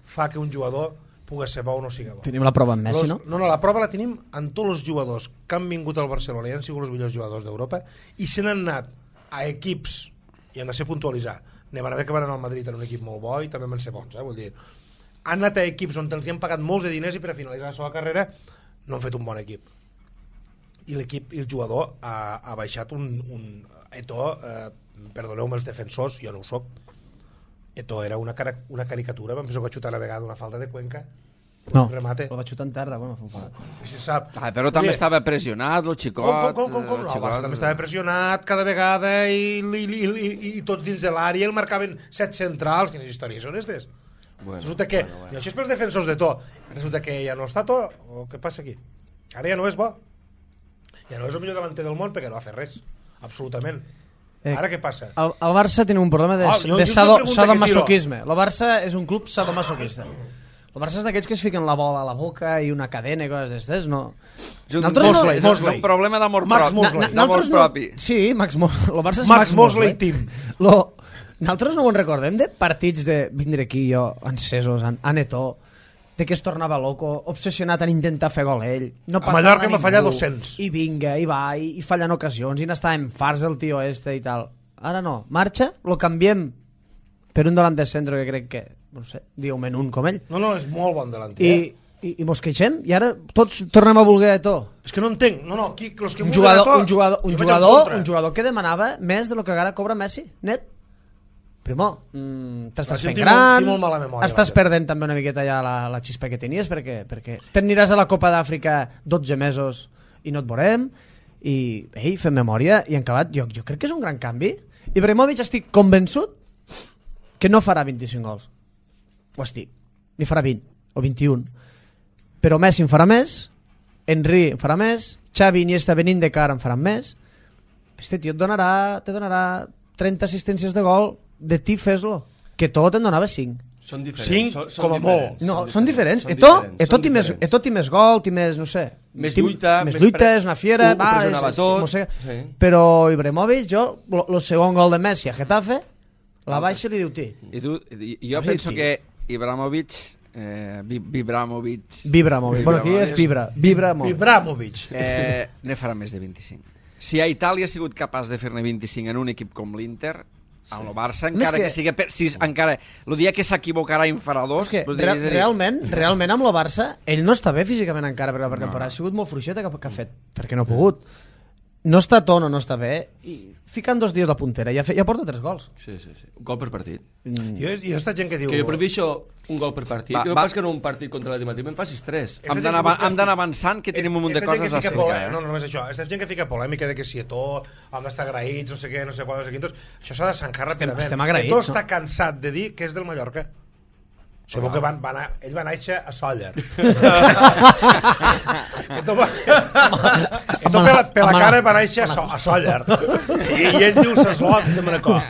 fa que un jugador pugui ser bo o no sigui bo. Tenim la prova amb Messi, Los, no? no, no, la prova la tenim en tots els jugadors que han vingut al Barcelona i han sigut els millors jugadors d'Europa i se n'han anat a equips, i han de ser puntualitzar, anem a veure que van anar al Madrid en un equip molt bo i també van ser bons, eh? Vull dir, han anat a equips on els hi han pagat molts de diners i per a finalitzar la seva carrera no han fet un bon equip. I l'equip i el jugador ha, ha baixat un... un Eto'o, eh, perdoneu-me els defensors, jo no ho soc, Eto'o era una, cara, una caricatura, vam pensar que va xutar una vegada una falta de Cuenca, No, un remate. el va xutar en terra. Bueno, fa un Si sap. Ah, però també Vull dir, estava pressionat, el xicot... Com, com, com, com, com? el No, el xicot, Barça també estava pressionat cada vegada i, i, i, i, i, i tots dins de l'àrea el marcaven set centrals. Quines històries són aquestes? Bueno, Resulta que, bueno, bueno. i això és pels defensors de to, resulta que ja no està to, o què passa aquí? Ara ja no és bo. Ja no és el millor delanter del món perquè no va fer res, absolutament. Eh, Ara què passa? El, el Barça tiene un problema de, Ah, jo- de jo sado, una pregunta que sadomasoquisme. El Barça és un club sadomasoquista. El Barça és d'aquells que es fiquen la bola a la boca i una cadena i coses d'estes, no? És un, Nosaltres no- Mosley, és Mosley. un problema d'amor Max propi. Mosley. Na- na- D'amor nosaltres no- propi. Sí, Max Mosley. El Barça és Max Max, Mosley Mosley. team. Lo, nosaltres no ho en recordem de partits de vindre aquí jo, encesos, en, en Eto'o, de que es tornava loco, obsessionat en intentar fer gol ell. No A Mallorca ningú, m'ha fallat dos-cents. I vinga, i va, i, i falla en ocasions, i n'estàvem farts del tio este i tal. Ara no, marxa, lo canviem per un delant de centre que crec que, no sé, diu-me un com ell. No, no, és molt bon delanter. I, i, i mos queixem, i ara tots tornem a voler Eto'o. És que no entenc. No, no, qui, los que Un vulguen jugador, Eto'o, un jugador, un jo vaig en jugador, contra. un jugador que demanava més de lo que ara cobra Messi, net. Primo, mm, t'estàs La gent fent té molt- gran, té molt mala memòria, estàs la gent. perdent també una miqueta ja la, la xispa que tenies, perquè, perquè t'aniràs a la Copa d'Àfrica dotze mesos i no et veurem, i ei, fem memòria, i en acabat, jo, jo crec que és un gran canvi. Ibrahimovic estic convençut que no farà vint-i-cinc gols. Ho estic. Ni farà vint o vint-i-un. Però Messi en farà més, Henry en farà més, Xavi i Iniesta venint de cara en faran més. Este tio et donarà, te donarà trenta assistències de gol, de ti fes-lo. Que tot en donava cinc. Són diferents. Cinc, són, són com a diferents, No, són són diferents. són Eto, diferents, Eto, són té més, diferents. Eto té més gol, té més, no sé... Més té- lluita, més més lluita, pre- és una fiera... ho- ho pressionava tot, mossega. sí. Però Ibrahimovic, jo, el segon gol de Messi a Getafe, la baixa li diu ti. I tu, i- jo Sí, penso tio. que Ibrahimovic, eh, Vi- Vibramovic, Vibramovic. Bueno, aquí és Vibra. Vibramovic. Ibrahimovic. eh, ne farà més de vint-i-cinc. Si a Itàlia ha sigut capaç de fer-ne vint-i-cinc en un equip com l'Inter, amb el Barça, Més encara que- que, que sigui per sis, encara, el dia que s'equivocarà en farà dos, És que doncs real, és a dir, realment, realment amb el Barça, ell no està bé físicament encara per la pretemporada. Ha sigut molt fluixeta que, que ha fet, perquè no ha pogut. No està a tono, no està bé, i ficant dos dies la puntera, ja, fe, ja porta tres gols. Sí, sí, sí. Un gol per partit. Mm. Jo, jo esta gent que diu... Que jo prefereixo un gol per partit, Va, que no va. pas que no un partit contra la Dimatim em facis tres. Esta hem gent d'anar que busca- hem d'anar avançant, que tenim un munt de Esta gent coses a que fica explicar. polè- Eh? No, no només això. Esta gent que fica polèmica de que si Eto'o hem d'estar agraïts, no sé què, no sé quan, no sé quintos, això s'ha de sancar ràpidament. estem agraïts, Eto'o no? està cansat de dir que és del Mallorca. Segur que van, van a, ell va néixer a Sóller. Entonces, per la, per la cara va néixer a, so, a Sóller. I, I ell diu s'eslot de Manacor.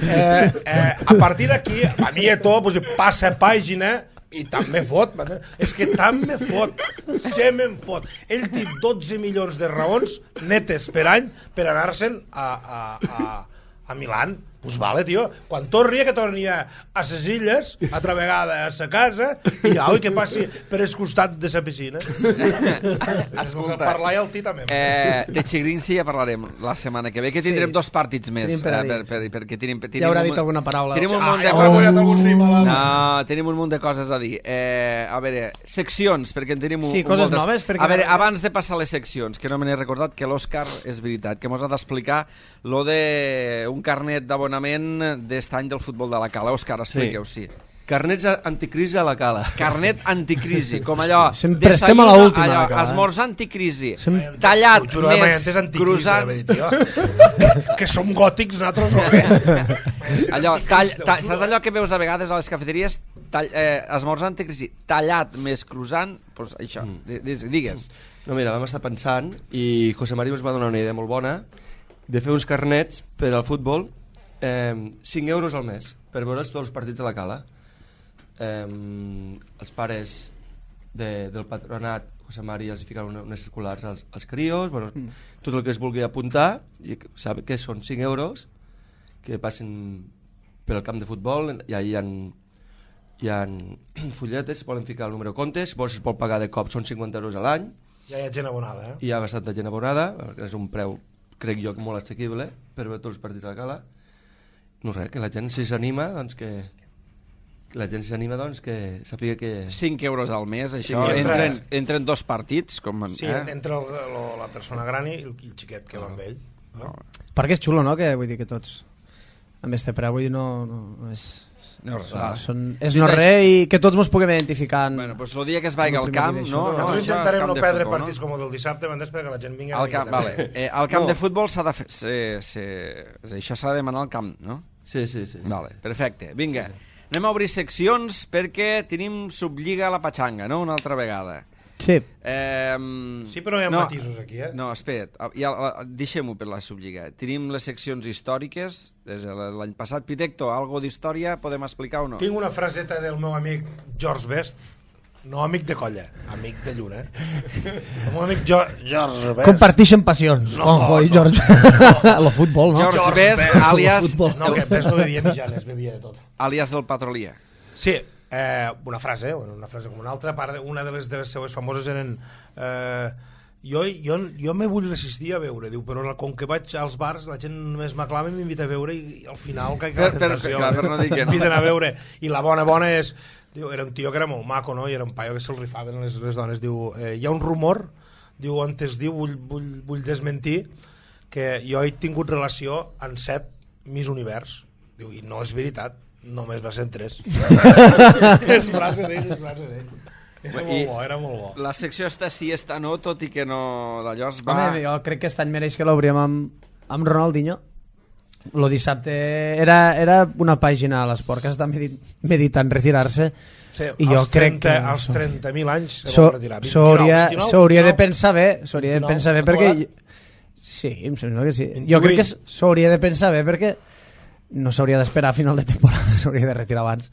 Eh, eh, a partir d'aquí, a mi a tot, pues, passa pàgina i també fot. És que també fot. Se me'n fot. Ell té dotze milions de raons netes per any per anar-se'n a, a, a, a Milán. Pues vale, tio, quan torni que torni a, a ses illes, altra vegada a sa casa, i au, que passi per el costat de sa piscina. Escolta, parlar i el tí també. Eh, de Chigrinci ja parlarem la setmana que ve, que tindrem sí. dos partits més. Per eh, per, per, perquè tenim, tenim ja haurà un, dit alguna paraula. Tenim un ah, munt de ja coses. Oh. No, tenim un munt de coses a dir. Eh, a veure, seccions, perquè en tenim un, sí, un coses moltes. noves. Perquè a veure, abans de passar les seccions, que no me n'he recordat, que l'Òscar és veritat, que mos ha d'explicar lo de un carnet d'abonament d'est any del futbol de la Cala. Òscar, expliqueu, sí. sí. Carnets anticrisi a la Cala. Carnet anticrisi, com allò... Sempre estem a l'última. Allò, Cala, esmorzar anticrisi. Sem... Tallat juro, més cruzant... que som gòtics nosaltres o què? Allò, tall, tall, saps allò que veus a vegades a les cafeteries? Tall, eh, esmorzar anticrisi. Tallat més cruzant, doncs això, mm. digues. No, mira, vam estar pensant i José María ens va donar una idea molt bona de fer uns carnets per al futbol, eh, cinc euros al mes per veure tots els partits de la Cala. Eh, els pares de, del patronat José María els ficaran una, unes circulars als, als crios, bueno, mm. tot el que es vulgui apuntar, i sap que són cinc euros que passen pel camp de futbol, i allà hi ha, hi ha fulletes, poden ficar el número de comptes, si es pot pagar de cop són cinquanta euros a l'any. Ja hi ha gent abonada, eh? Hi ha bastanta gent abonada, és un preu, crec jo, molt assequible per veure tots els partits a la Cala. No res, que la gent si s'anima, doncs que... la gent s'anima, doncs, que sàpiga que... cinc euros al mes, això, sí, entren, entren dos partits, com... Sí, eh? entre el, el, la persona gran i el, el xiquet que va amb ell. No? Perquè és xulo, no?, que vull dir que tots amb este preu, vull dir, no, no, no és... No, ah, són, és no res i que tots ens puguem identificar en... Bueno, pues el dia que es vagi al camp, no? Nosaltres no, intentarem no perdre futbol, partits no? com el del dissabte, m'entens, perquè la gent vingui al camp, vale. eh, al camp no. de futbol s'ha de fer... Se, se, això s'ha de demanar al camp, no? Sí, sí, sí. sí. Vale, perfecte. Vinga, sí, sí. anem a obrir seccions perquè tenim Sublliga a la Patxanga, no?, una altra vegada. Sí. Eh, sí, però hi ha no, matisos aquí, eh? No, espera't, ja, deixem-ho per la Sublliga. Tenim les seccions històriques, des de l'any passat. Pitecto, algo d'història podem explicar o no? Tinc una fraseta del meu amic George Best, no amic de colla, amic de lluna, eh? El meu amic jo, George Best. Comparteixen passions, no, Juanjo i George. No. El futbol, no? George, George Best, Best, àlias... No, que Best no bevia mitjanes, bevia de tot. Àlias del Patrolia. Sí, eh, una frase, bueno, una frase com una altra, part de, una de les, de les seues famoses eren eh, jo, jo, jo me vull resistir a veure, diu, però com que vaig als bars la gent només m'aclama i m'invita a veure i, i al final caic a la tentació, per, per, per no dir que no. m'inviten a veure, i la bona bona és, diu, era un tio que era molt maco, no? I era un paio que se'l rifaven les, les dones, diu, eh, hi ha un rumor, diu, on es diu, vull, vull, vull desmentir que jo he tingut relació amb set Miss Univers, diu, i no és veritat, només va ser en tres. És frase d'ell, és frase d'ell. Era molt bo, era molt bo. La secció està sí, està no, tot i que no d'allò es va... Home, jo crec que aquest any mereix que l'obrim amb, amb Ronaldinho. Lo dissabte era, era una pàgina a l'esport que està medit, meditant retirar-se. Sí, i jo crec trenta, que... als trenta mil anys se so, vol retirar. S'hauria de pensar bé, s'hauria de pensar bé perquè... Sí, em sembla que sí. Jo crec que s'hauria de pensar bé perquè no s'hauria d'esperar a final de temporada, s'hauria de retirar abans,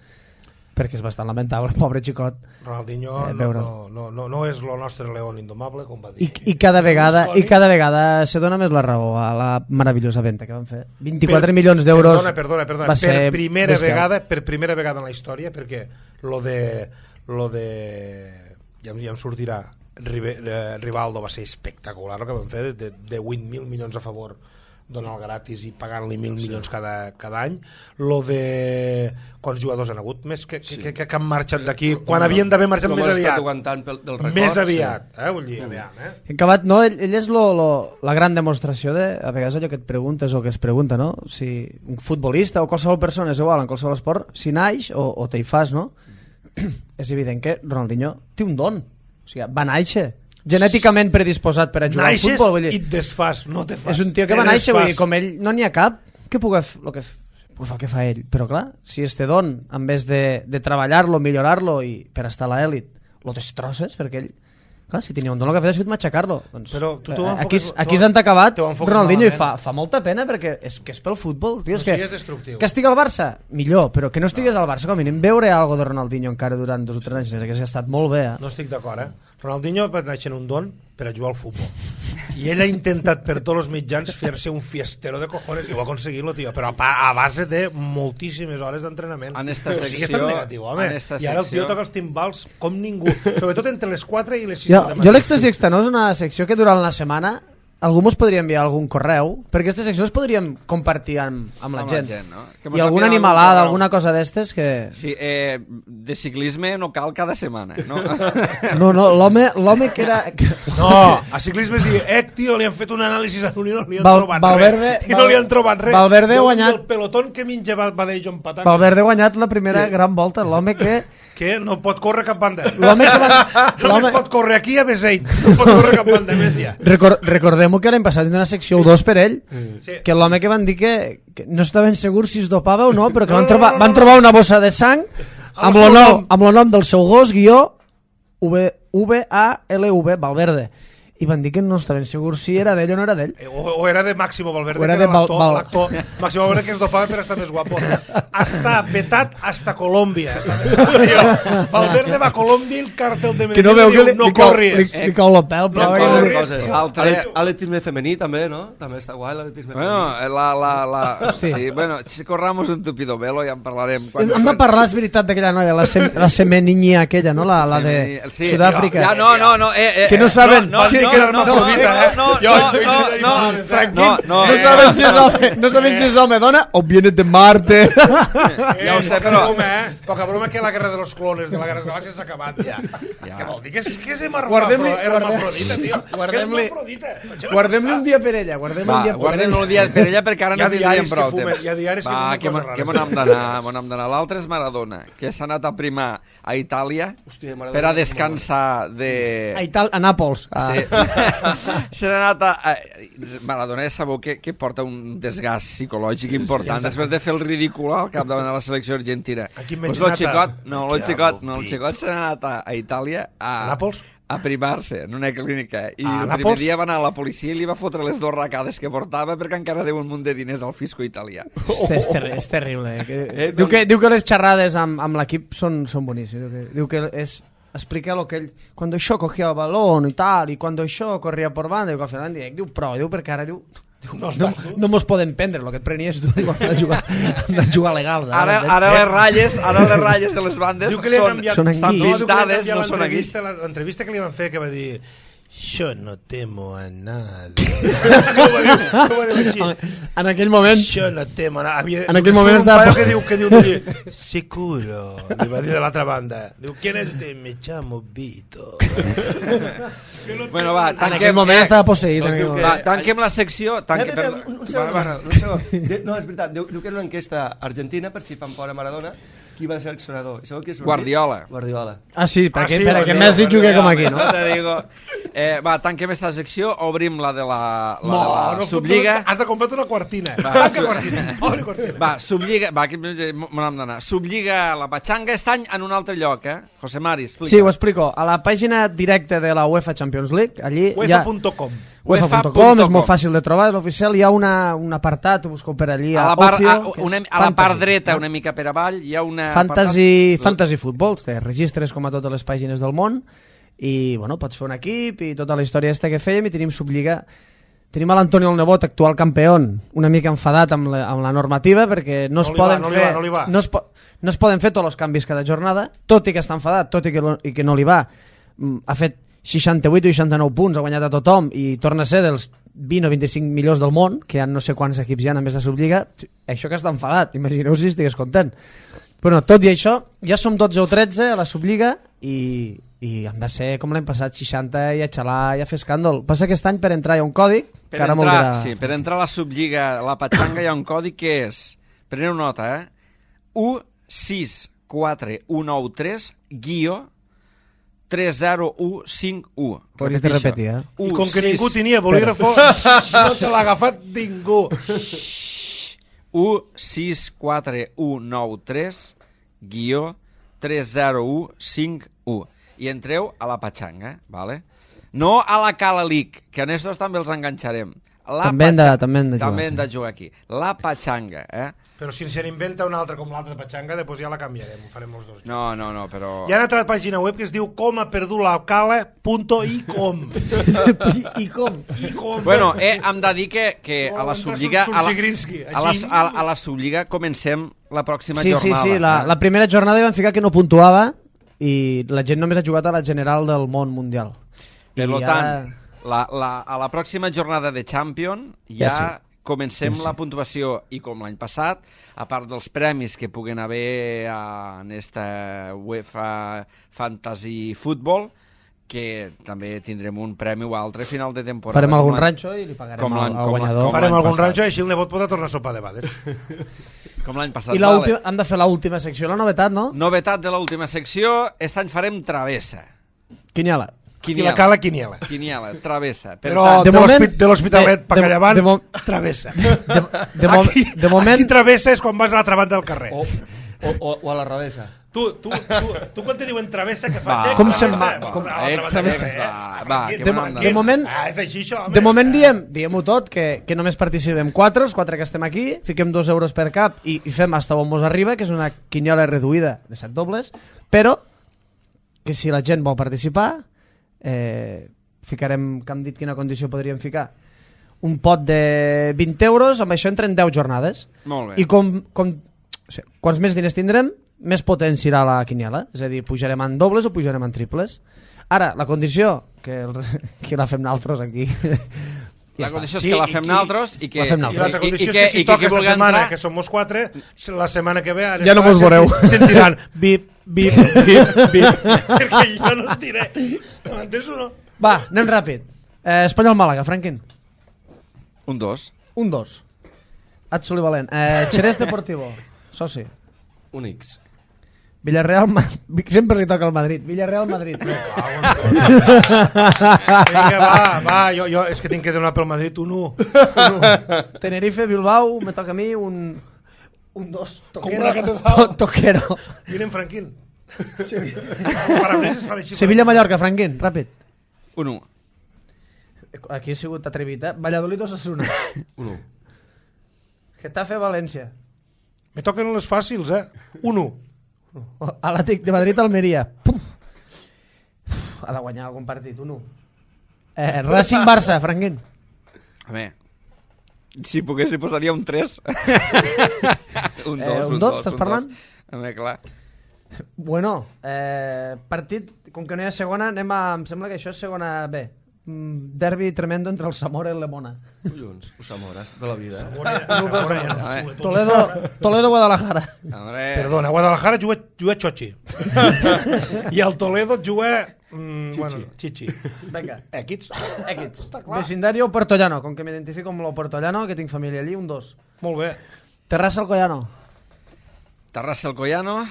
perquè és bastant lamentable, pobre xicot. Ronaldinho eh, no, no, no, no, no és el nostre león indomable, com va dir. I, i, cada, vegada, i cada vegada se dona més la raó a la meravellosa venta que van fer. vint-i-quatre per, milions d'euros. Perdona, perdona, perdona. Va per ser primera bestial. vegada, per primera vegada en la història, perquè lo de, lo de ja, ja em sortirà, Rivaldo va ser espectacular el que van fer, de, de vuit mil milions a favor, donar gratis i pagant-li mil milions cada, cada any. Lo de quants jugadors han hagut més que, que, que, que han marxat d'aquí quan havien d'haver marxat més aviat pel, del record, més aviat sí. eh, vull dir, aviam, eh? Acabat, no, ell, ell és lo, lo, la gran demostració de, a vegades allò que et preguntes o que es pregunta, no? Si un futbolista o qualsevol persona és igual en qualsevol esport, si naix o, o te hi fas, no? És evident que Ronaldinho té un don, o sigui, va naixer genèticament predisposat per a jugar naixes al futbol, vull dir. I et desfas, no te fas. És un tio que va néixer, vull dir, com ell no n'hi ha cap que pugui, lo que pues fa el que fa ell. Però clar, si este don, en vez de, de treballar-lo, millorar-lo i per estar a l'elit, lo destrosses, perquè ell, clar, si tenia un don, el que ha fet ha sigut matxacar-lo. Doncs, Però tu t'ho aquí enfoques- aquí t'ho- s'han acabat t'ho enfoques Ronaldinho i malament. fa, fa molta pena perquè és que és pel futbol, tio, és No, sí, que, és destructiu. que estigui al Barça, millor, però que no estigués al Barça, com a mínim veure algo de Ronaldinho encara durant dos o tres anys, que ha estat molt bé, eh? No estic d'acord, eh? Ronaldinho va néixer en un don per a jugar al futbol. I ell ha intentat per tots els mitjans fer-se un fiestero de cojones i ho ha aconseguit, tio, però a, pa- a base de moltíssimes hores d'entrenament. En esta O sigui, és secció- tan negatiu, home. en esta I ara el tio secció- toca els timbals com ningú, sobretot entre les quatre i les sis Jo, del jo matí. l'Extra i Extra no és una secció que durant la setmana algú mos podria enviar algun correu, perquè aquesta secció es podríem compartir amb, amb la Amb la gent. gent, no? Que mos I alguna envien algun animalada, correu. alguna cosa d'estes que... Sí, eh, de ciclisme no cal cada setmana, no? No, no, l'home l'home que era... Que... No, a ciclisme es diu, eh, tio, li han fet un anàlisi a l'Unió, no li han Val- trobat Valverde- res. I no li han trobat res. Valverde ha Del- guanyat- del pelotón que minja va, va de John Patán, Valverde ha guanyat la primera gran volta, l'home que... que no pot córrer cap banda. L'home que va... Només l'home- pot córrer aquí a Beseit. No pot córrer cap banda més ja. Record, recordem-ho que l'any passat hi ha una secció dos per ell, Sí. que l'home que van dir que, que no estaven segurs si es dopava o no, però que No, van, no, trobar, no, no, van no. trobar una bossa de sang Amb amb el lo seu nom, nom. amb lo nom del seu gos, guió V A L V, Valverde. I van dir que no estaven segurs si era d'ell o no era d'ell. O, o era de Máximo Valverde, O era que de era Val- l'actor, Val- l'actor. Máximo Valverde que es dopava per estar més guapo. Està vetat hasta Colòmbia. Està vetat, tio. Valverde va a Colòmbia i el càrtel de Que no Medellín veu li que diu, li, no li, cau, li, corries. li cau la pèl. No però Coses, que- corris. coses. L'altre- Ale- Atletisme femení també, no? També està guai l'atletisme Bueno, femení. la, la, la... Hosti. Sí, bueno, si corramos un tupido velo ja en parlarem. Quan, Hem de parlar, és veritat, d'aquella noia, la, sem, la semeniña aquella, no? La, la de Sí, Sud-àfrica. Ja, no, no, no. Eh, eh, Que no saben. No, no, Sí, no, que era no, hermafrodita, eh? No, Jo- no, jo- no, jo- no, jo- Franquín, no, no, No eh, saben si és home, no saben si és home dona o viene de Marte. Eh, Ja ho sé, poca però- broma, eh? Poca broma que la guerra de los clones de la guerra de les galàxies s'ha acabat ja. Ja. Què vol dir? Que és, que és Guardem-li- hermafrodita, tio. guardem-li- Hermafrodita. Guardem-li un dia per ella, guardem-li un Va, dia per guardem ella. un dia per ella perquè ara Hi ha no tindríem diaris que prou fumen, temps. hi ha diaris que Va, fumen que, coses mon- que rares. mon hem d'anar, mon hem d'anar. L'altre és Maradona, que s'ha anat a primar a Itàlia Hòstia, Maradona, per a molt descansar de... A, Ital a Nàpols. A... Sí. Se n'ha anat a... a... Maradona ja sabeu que, que porta un desgast psicològic important després de fer el ridícul al capdavant de la selecció argentina. Aquí Pues menys lo nata. xicot, no, el Que xicot, amo no, el pito. xicot se n'ha anat a, a Itàlia a, A Nàpols? a primar-se en una clínica i A el Nàpols? primer dia va anar a la policia i li va fotre les dues racades que portava perquè encara deu un munt de diners al fisco italià. És, és, ter és terrible. Eh? Que, Eh, diu, doncs- que, diu que les xerrades amb, amb l'equip són, són boníssimes. Diu que, diu que és explica lo que ell... Cuando això cogía el balón i tal, i cuando això corria por banda, diu que al final diu, diu prou, diu perquè ara diu... diu No no, estàs no, tu. no mos poden prendre, el que et prenies tu, diu, hem de jugar, hem de jugar legals. Ara, ara les ratlles, ara les ratlles de les bandes Diu que li ha són, canviat, són estan anguilles. no, diu que li ha pintades, canviat no són aquí. l'entrevista, l'entrevista que li van fer que va dir yo no temo a nada. com va dir, com va dir així? En aquell moment... Yo no temo a nada. Havia, En aquell diu que moment surt un estava- paio que diu, que diu, diu seguro, li va dir de l'altra banda. Diu, ¿quién es usted? Me llamo Vito. Bueno, va, En aquell tanquem, moment estava posseït. Doncs en diu aquell que- moment. va, tanquem la secció. Tanque, Espera, espera, un, un segon, va, va. Maradona, un segon. De- No, és veritat, diu, diu que era una enquesta argentina per si fan fora Maradona, qui va ser seleccionador. I sabeu qui és? Guardiola. Guardiola. Ah, sí, perquè, Ah, sí, perquè Guardiola, Messi jugui com aquí, no? No te digo. Eh, va, tanquem esta secció, obrim la de la, la, No, de la no, Subliga. has de comprar una quartina. Va, Va, su- que quartina. Obre quartina. Va, Subliga, va, aquí m'ho hem d'anar. Subliga la Pachanga aquest any en un altre lloc, eh? José Mari, explica. Sí, ho explico. A la pàgina directa de la UEFA Champions League, allí hi ha... UEFA punt com. UEFA punt com, és molt fàcil de trobar, és l'oficial, hi ha una, un apartat, ho busco per allí, A a, la, part, Ocio, a, que és una, a la part fantasy, dreta, no? una mica per avall, hi ha una... Fantasy, apartat- fantasy Football, te registres com a totes les pàgines del món i bueno, pots fer un equip i tota la història aquesta que fèiem i tenim Subliga. Tenim a l'Antonio el Nebot, actual campió, una mica enfadat amb la, amb la normativa perquè no es No li va, poden no li fer va, no li va. no es, po no es poden fer tots els canvis cada jornada, tot i que està enfadat, tot i que, lo, i que no li va. Mm, ha fet seixanta-vuit o seixanta-nou punts, ha guanyat a tothom i torna a ser dels vint o vint-i-cinc millors del món, que hi ha no sé quants equips hi ha a més de Subliga. Això que està enfadat, imagineu si estigués content. Bueno, tot i això, ja som dotze o tretze a la Subliga i, i hem de ser com l'any passat, seixanta i a xalar i a fer escàndol. Passa que aquest any per entrar hi ha un còdic Per que ara entrar, dirà... sí, per entrar a la Subliga, la Pachanga, hi ha un codi que és, preneu nota, eh? u sis quatre u nou tres guió tres zero u cinc u. Podries de repetir, eh? I com que ningú tenia bolígrafo, no te l'ha agafat ningú. u sis quatre u nou tres guió tres zero u cinc u i entreu a la patxanga, ¿vale? No a la Cala League, que en estos també els enganxarem. La també, hem de, patxanga, també hem de jugar. també hem sí. de jugar aquí. La patxanga, eh? Però si se n'inventa una altra com l'altra patxanga, després ja la canviarem, ho farem els dos. No, no, no, però... Hi ha una altra pàgina web que es diu com ha perdut la cala punto i com. I, I com? I com. Bueno, eh, hem de dir que, que a la Sublliga a la, Subgrinski, a, la, a, a la Sublliga comencem la pròxima Sí, jornada. sí, sí, la, eh? la primera jornada van ficar que no puntuava i la gent només ha jugat a la general del món mundial. Per I tant, ara... la, la, a la pròxima jornada de Champion ja, Ja sí. comencem Ja sí. la puntuació i com l'any passat, a part dels premis que puguen haver a, en esta UEFA Fantasy Football, que també tindrem un premi o altre a final de temporada. Farem algun Com l'any- ranxo i li pagarem com al, l'any- al com l'any- guanyador. com Farem l'any algun passat. ranxo i així el nebot podrà tornar a sopar de bades. Com l'any passat. I l'última, hem de fer l'última secció, la novetat, no? Novetat de l'última secció, aquest any farem travessa. Quiniela. I la cala quiniela. Quiniela, travessa. Per Però tant, de de moment- l'hospit- de l'Hospitalet de- pa de- Callavant, de mo- travessa. De, de, mo Aquí, de moment... aquí travessa és quan vas a l'altra banda del carrer. O, o, o, o a la revesa. Tu, tu, tu, tu quan te diuen travessa, que Va, faig? Com travessa? se'n va? Va, Com- a l'altra Eh, banda del travessa, carrer, eh? va, Ah, va, Franquín, que de, m'han de moment, Ah, és així, això, home. de moment diem, diem-ho tot, que, que només participem quatre, els quatre que estem aquí, fiquem dos euros per cap i, i fem hasta on mos arriba, que és una quiniola reduïda de set dobles, però que si la gent vol participar, eh, ficarem, que hem dit quina condició podríem ficar, un pot de vint euros, amb això entren deu jornades. Molt bé. I com, com, o sigui, quants més diners tindrem, més potent serà la quiniela. És a dir, pujarem en dobles o pujarem en triples. Ara, la condició, que, el, que la fem nosaltres aquí, La ja condició és Sí, que la i- fem i- nosaltres i que... La fem I nosaltres. l'altra condició i, és que si i toca qui esta vulgui setmana, entrar- que som els quatre, la setmana que ve... ara Ja no estarà mos veureu. senti- Sentiran bip, bip, bip, bip, perquè jo no us diré. M'entens o no? Va, anem ràpid. Eh, Espanyol-Màlaga, Franquin. Un dos. Un dos. Atzuli Valent. Eh, Xerès Deportivo. Soci. Un X. Villarreal, Ma- sempre li toca al Madrid. Villarreal-Madrid. Vinga, va, va, jo, jo és que tinc que donar pel Madrid un u. Un u. Tenerife-Bilbao, me toca a mi un... Un dos. Com una catedral. To toquero. Miren, Franquín. El Parabreses fa així. Sevilla-Mallorca, Franquin, ràpid. Un u. Aquí he sigut atrevit, eh? Valladolid-Osasuna. Un U. Getafe-València. Me toquen les fàcils, eh? Un u. Atlètic de Madrid-Almeria. Pum. Ha de guanyar algun partit, un u. Eh, Racing-Barça, Franquin. A veure, si pogués hi posaria un tres. un dos, Eh, un dos, estàs parlant? A veure, clar. Bueno, eh, partit, com que no hi ha segona, anem a... Em sembla que això és segona B. Mm, derbi tremendo entre el Zamora i el Lemona. Collons, Usamores, de la vida. Eh? veure. Toledo, Toledo Guadalajara. Hombre, Perdona, a Guadalajara juga, juga Xochi. I al Toledo juga... Mm, bueno, Chichi. Vinga, Equips. equips. Vecindario Puertollano, com que m'identifico amb lo Puertollano, que tinc família allí, un dos. Molt bé. Terrassa Alcoyano. Terrassa Alcoyano.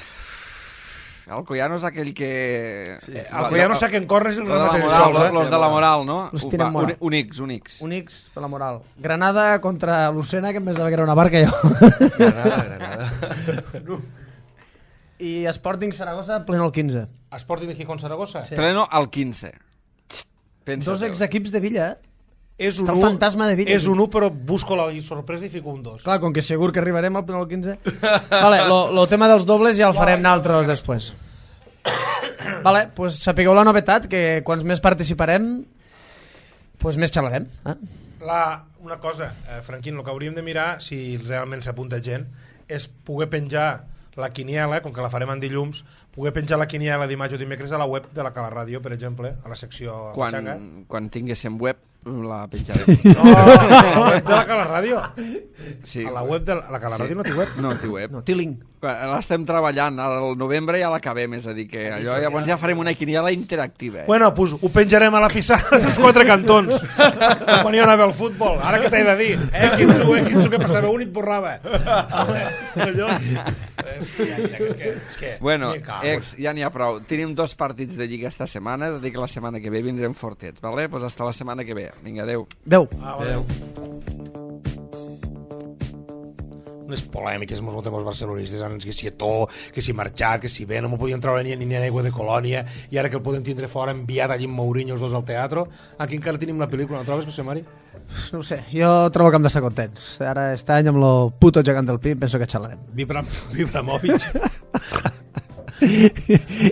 Alcoyano és aquell que... Sí. El que ja no sap que en corres i el Los de la rematen moral, sols, eh? los de la moral, no? Los Va, tienen moral. Un, un X, un X. Un X per la moral. Granada contra Lucena, que em pensava que era una barca jo. Granada, Granada. I Sporting Saragossa, pleno el quinze. Sporting de Gijón Saragossa. Sí. Pleno al quinze. Pensa Dos exequips de Villa, eh? És un Està el u, fantasma de Villa. És un u, però busco la sorpresa i fico un dos. Clar, com que segur que arribarem al pleno el quinze. Vale, lo, lo tema dels dobles ja el farem nosaltres després. Vale, pues sapigueu la novetat, que quants més participarem, pues més xalarem. Eh? La, una cosa, eh, Franquín, el que hauríem de mirar, si realment s'apunta gent, és poder penjar la quiniela, com que la farem en dilluns, poder penjar la quiniela dimarts o dimecres a la web de la Cala Ràdio, per exemple, a la secció Quan, Patxanga. quan tinguéssim web, la penjarem. No, a la web de la Cala Ràdio. Sí. A la web de la, la Cala Sí. Ràdio no té web. No té web. No, té link. L'estem treballant, al novembre ja l'acabem, és a dir que allò llavors ja farem una quiniela interactiva. Eh? Bueno, pues ho penjarem a la pissarra dels quatre cantons. Quan hi anava al futbol. Ara que t'he de dir, eh, Quinzu, eh, Quinzu, què passava? Un i et borrava. Allò... És que, és que, és que... Bueno, me cago. ex, ja n'hi ha prou. Tenim dos partits de Lliga esta setmana, és a dir que la setmana que ve vindrem fortets, vale? Pues hasta la setmana que ve. Vinga, adeu. Adéu. Ah, vale. unes polèmiques amb els mos barcelonistes, que si Eto'o, que si Marxat, que si bé, no m'ho podien treure ni, ni aigua de Colònia, i ara que el podem tindre fora, enviat allí amb Mourinho els dos al teatre. Aquí encara tenim la pel·lícula, no trobes, José Mari? No ho sé, jo trobo que hem d'estar contents. Ara, aquest any, amb lo puto gegant del Pi, penso que xalarem. Vibra, Vibramovic.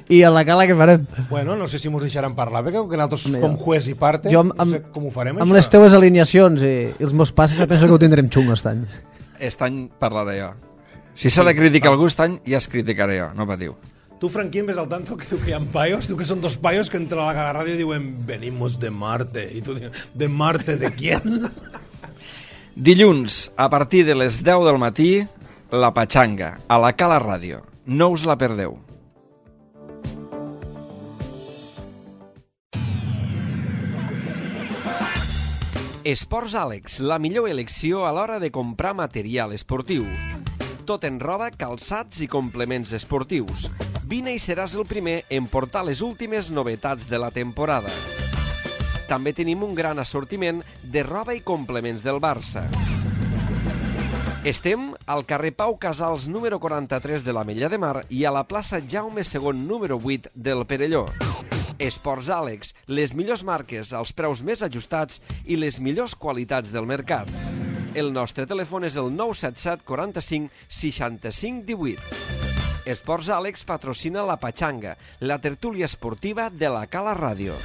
I a la cala què farem? Bueno, no sé si mos deixaran parlar, perquè que nosaltres Home, com juez i parte, jo amb, no sé com ho farem, amb això. les teues alineacions i, i els meus passes, penso que ho tindrem xungo aquest any. Aquest any parlaré jo. Si s'ha de criticar algú aquest any, ja es criticaré jo, no patiu. Tu, Franquín, ves al tanto que diu que hi ha paios, diu que són dos paios que entren a la ràdio i diuen venimos de Marte, i tu dius, de Marte, ¿de quién? Dilluns, a partir de les deu del matí, la Patxanga, a la Cala Ràdio. No us la perdeu. Esports Àlex, la millor elecció a l'hora de comprar material esportiu. Tot en roba, calçats i complements esportius. Vine i seràs el primer en portar les últimes novetats de la temporada. També tenim un gran assortiment de roba i complements del Barça. Estem al carrer Pau Casals número quaranta-tres de l'Ametlla de Mar i a la plaça Jaume segon número vuit del Perelló. Esports Àlex, les millors marques als preus més ajustats i les millors qualitats del mercat. El nostre telèfon és el nou set set quaranta-cinc seixanta-cinc divuit. Esports Àlex patrocina la Patxanga, la tertúlia esportiva de la Cala Ràdio.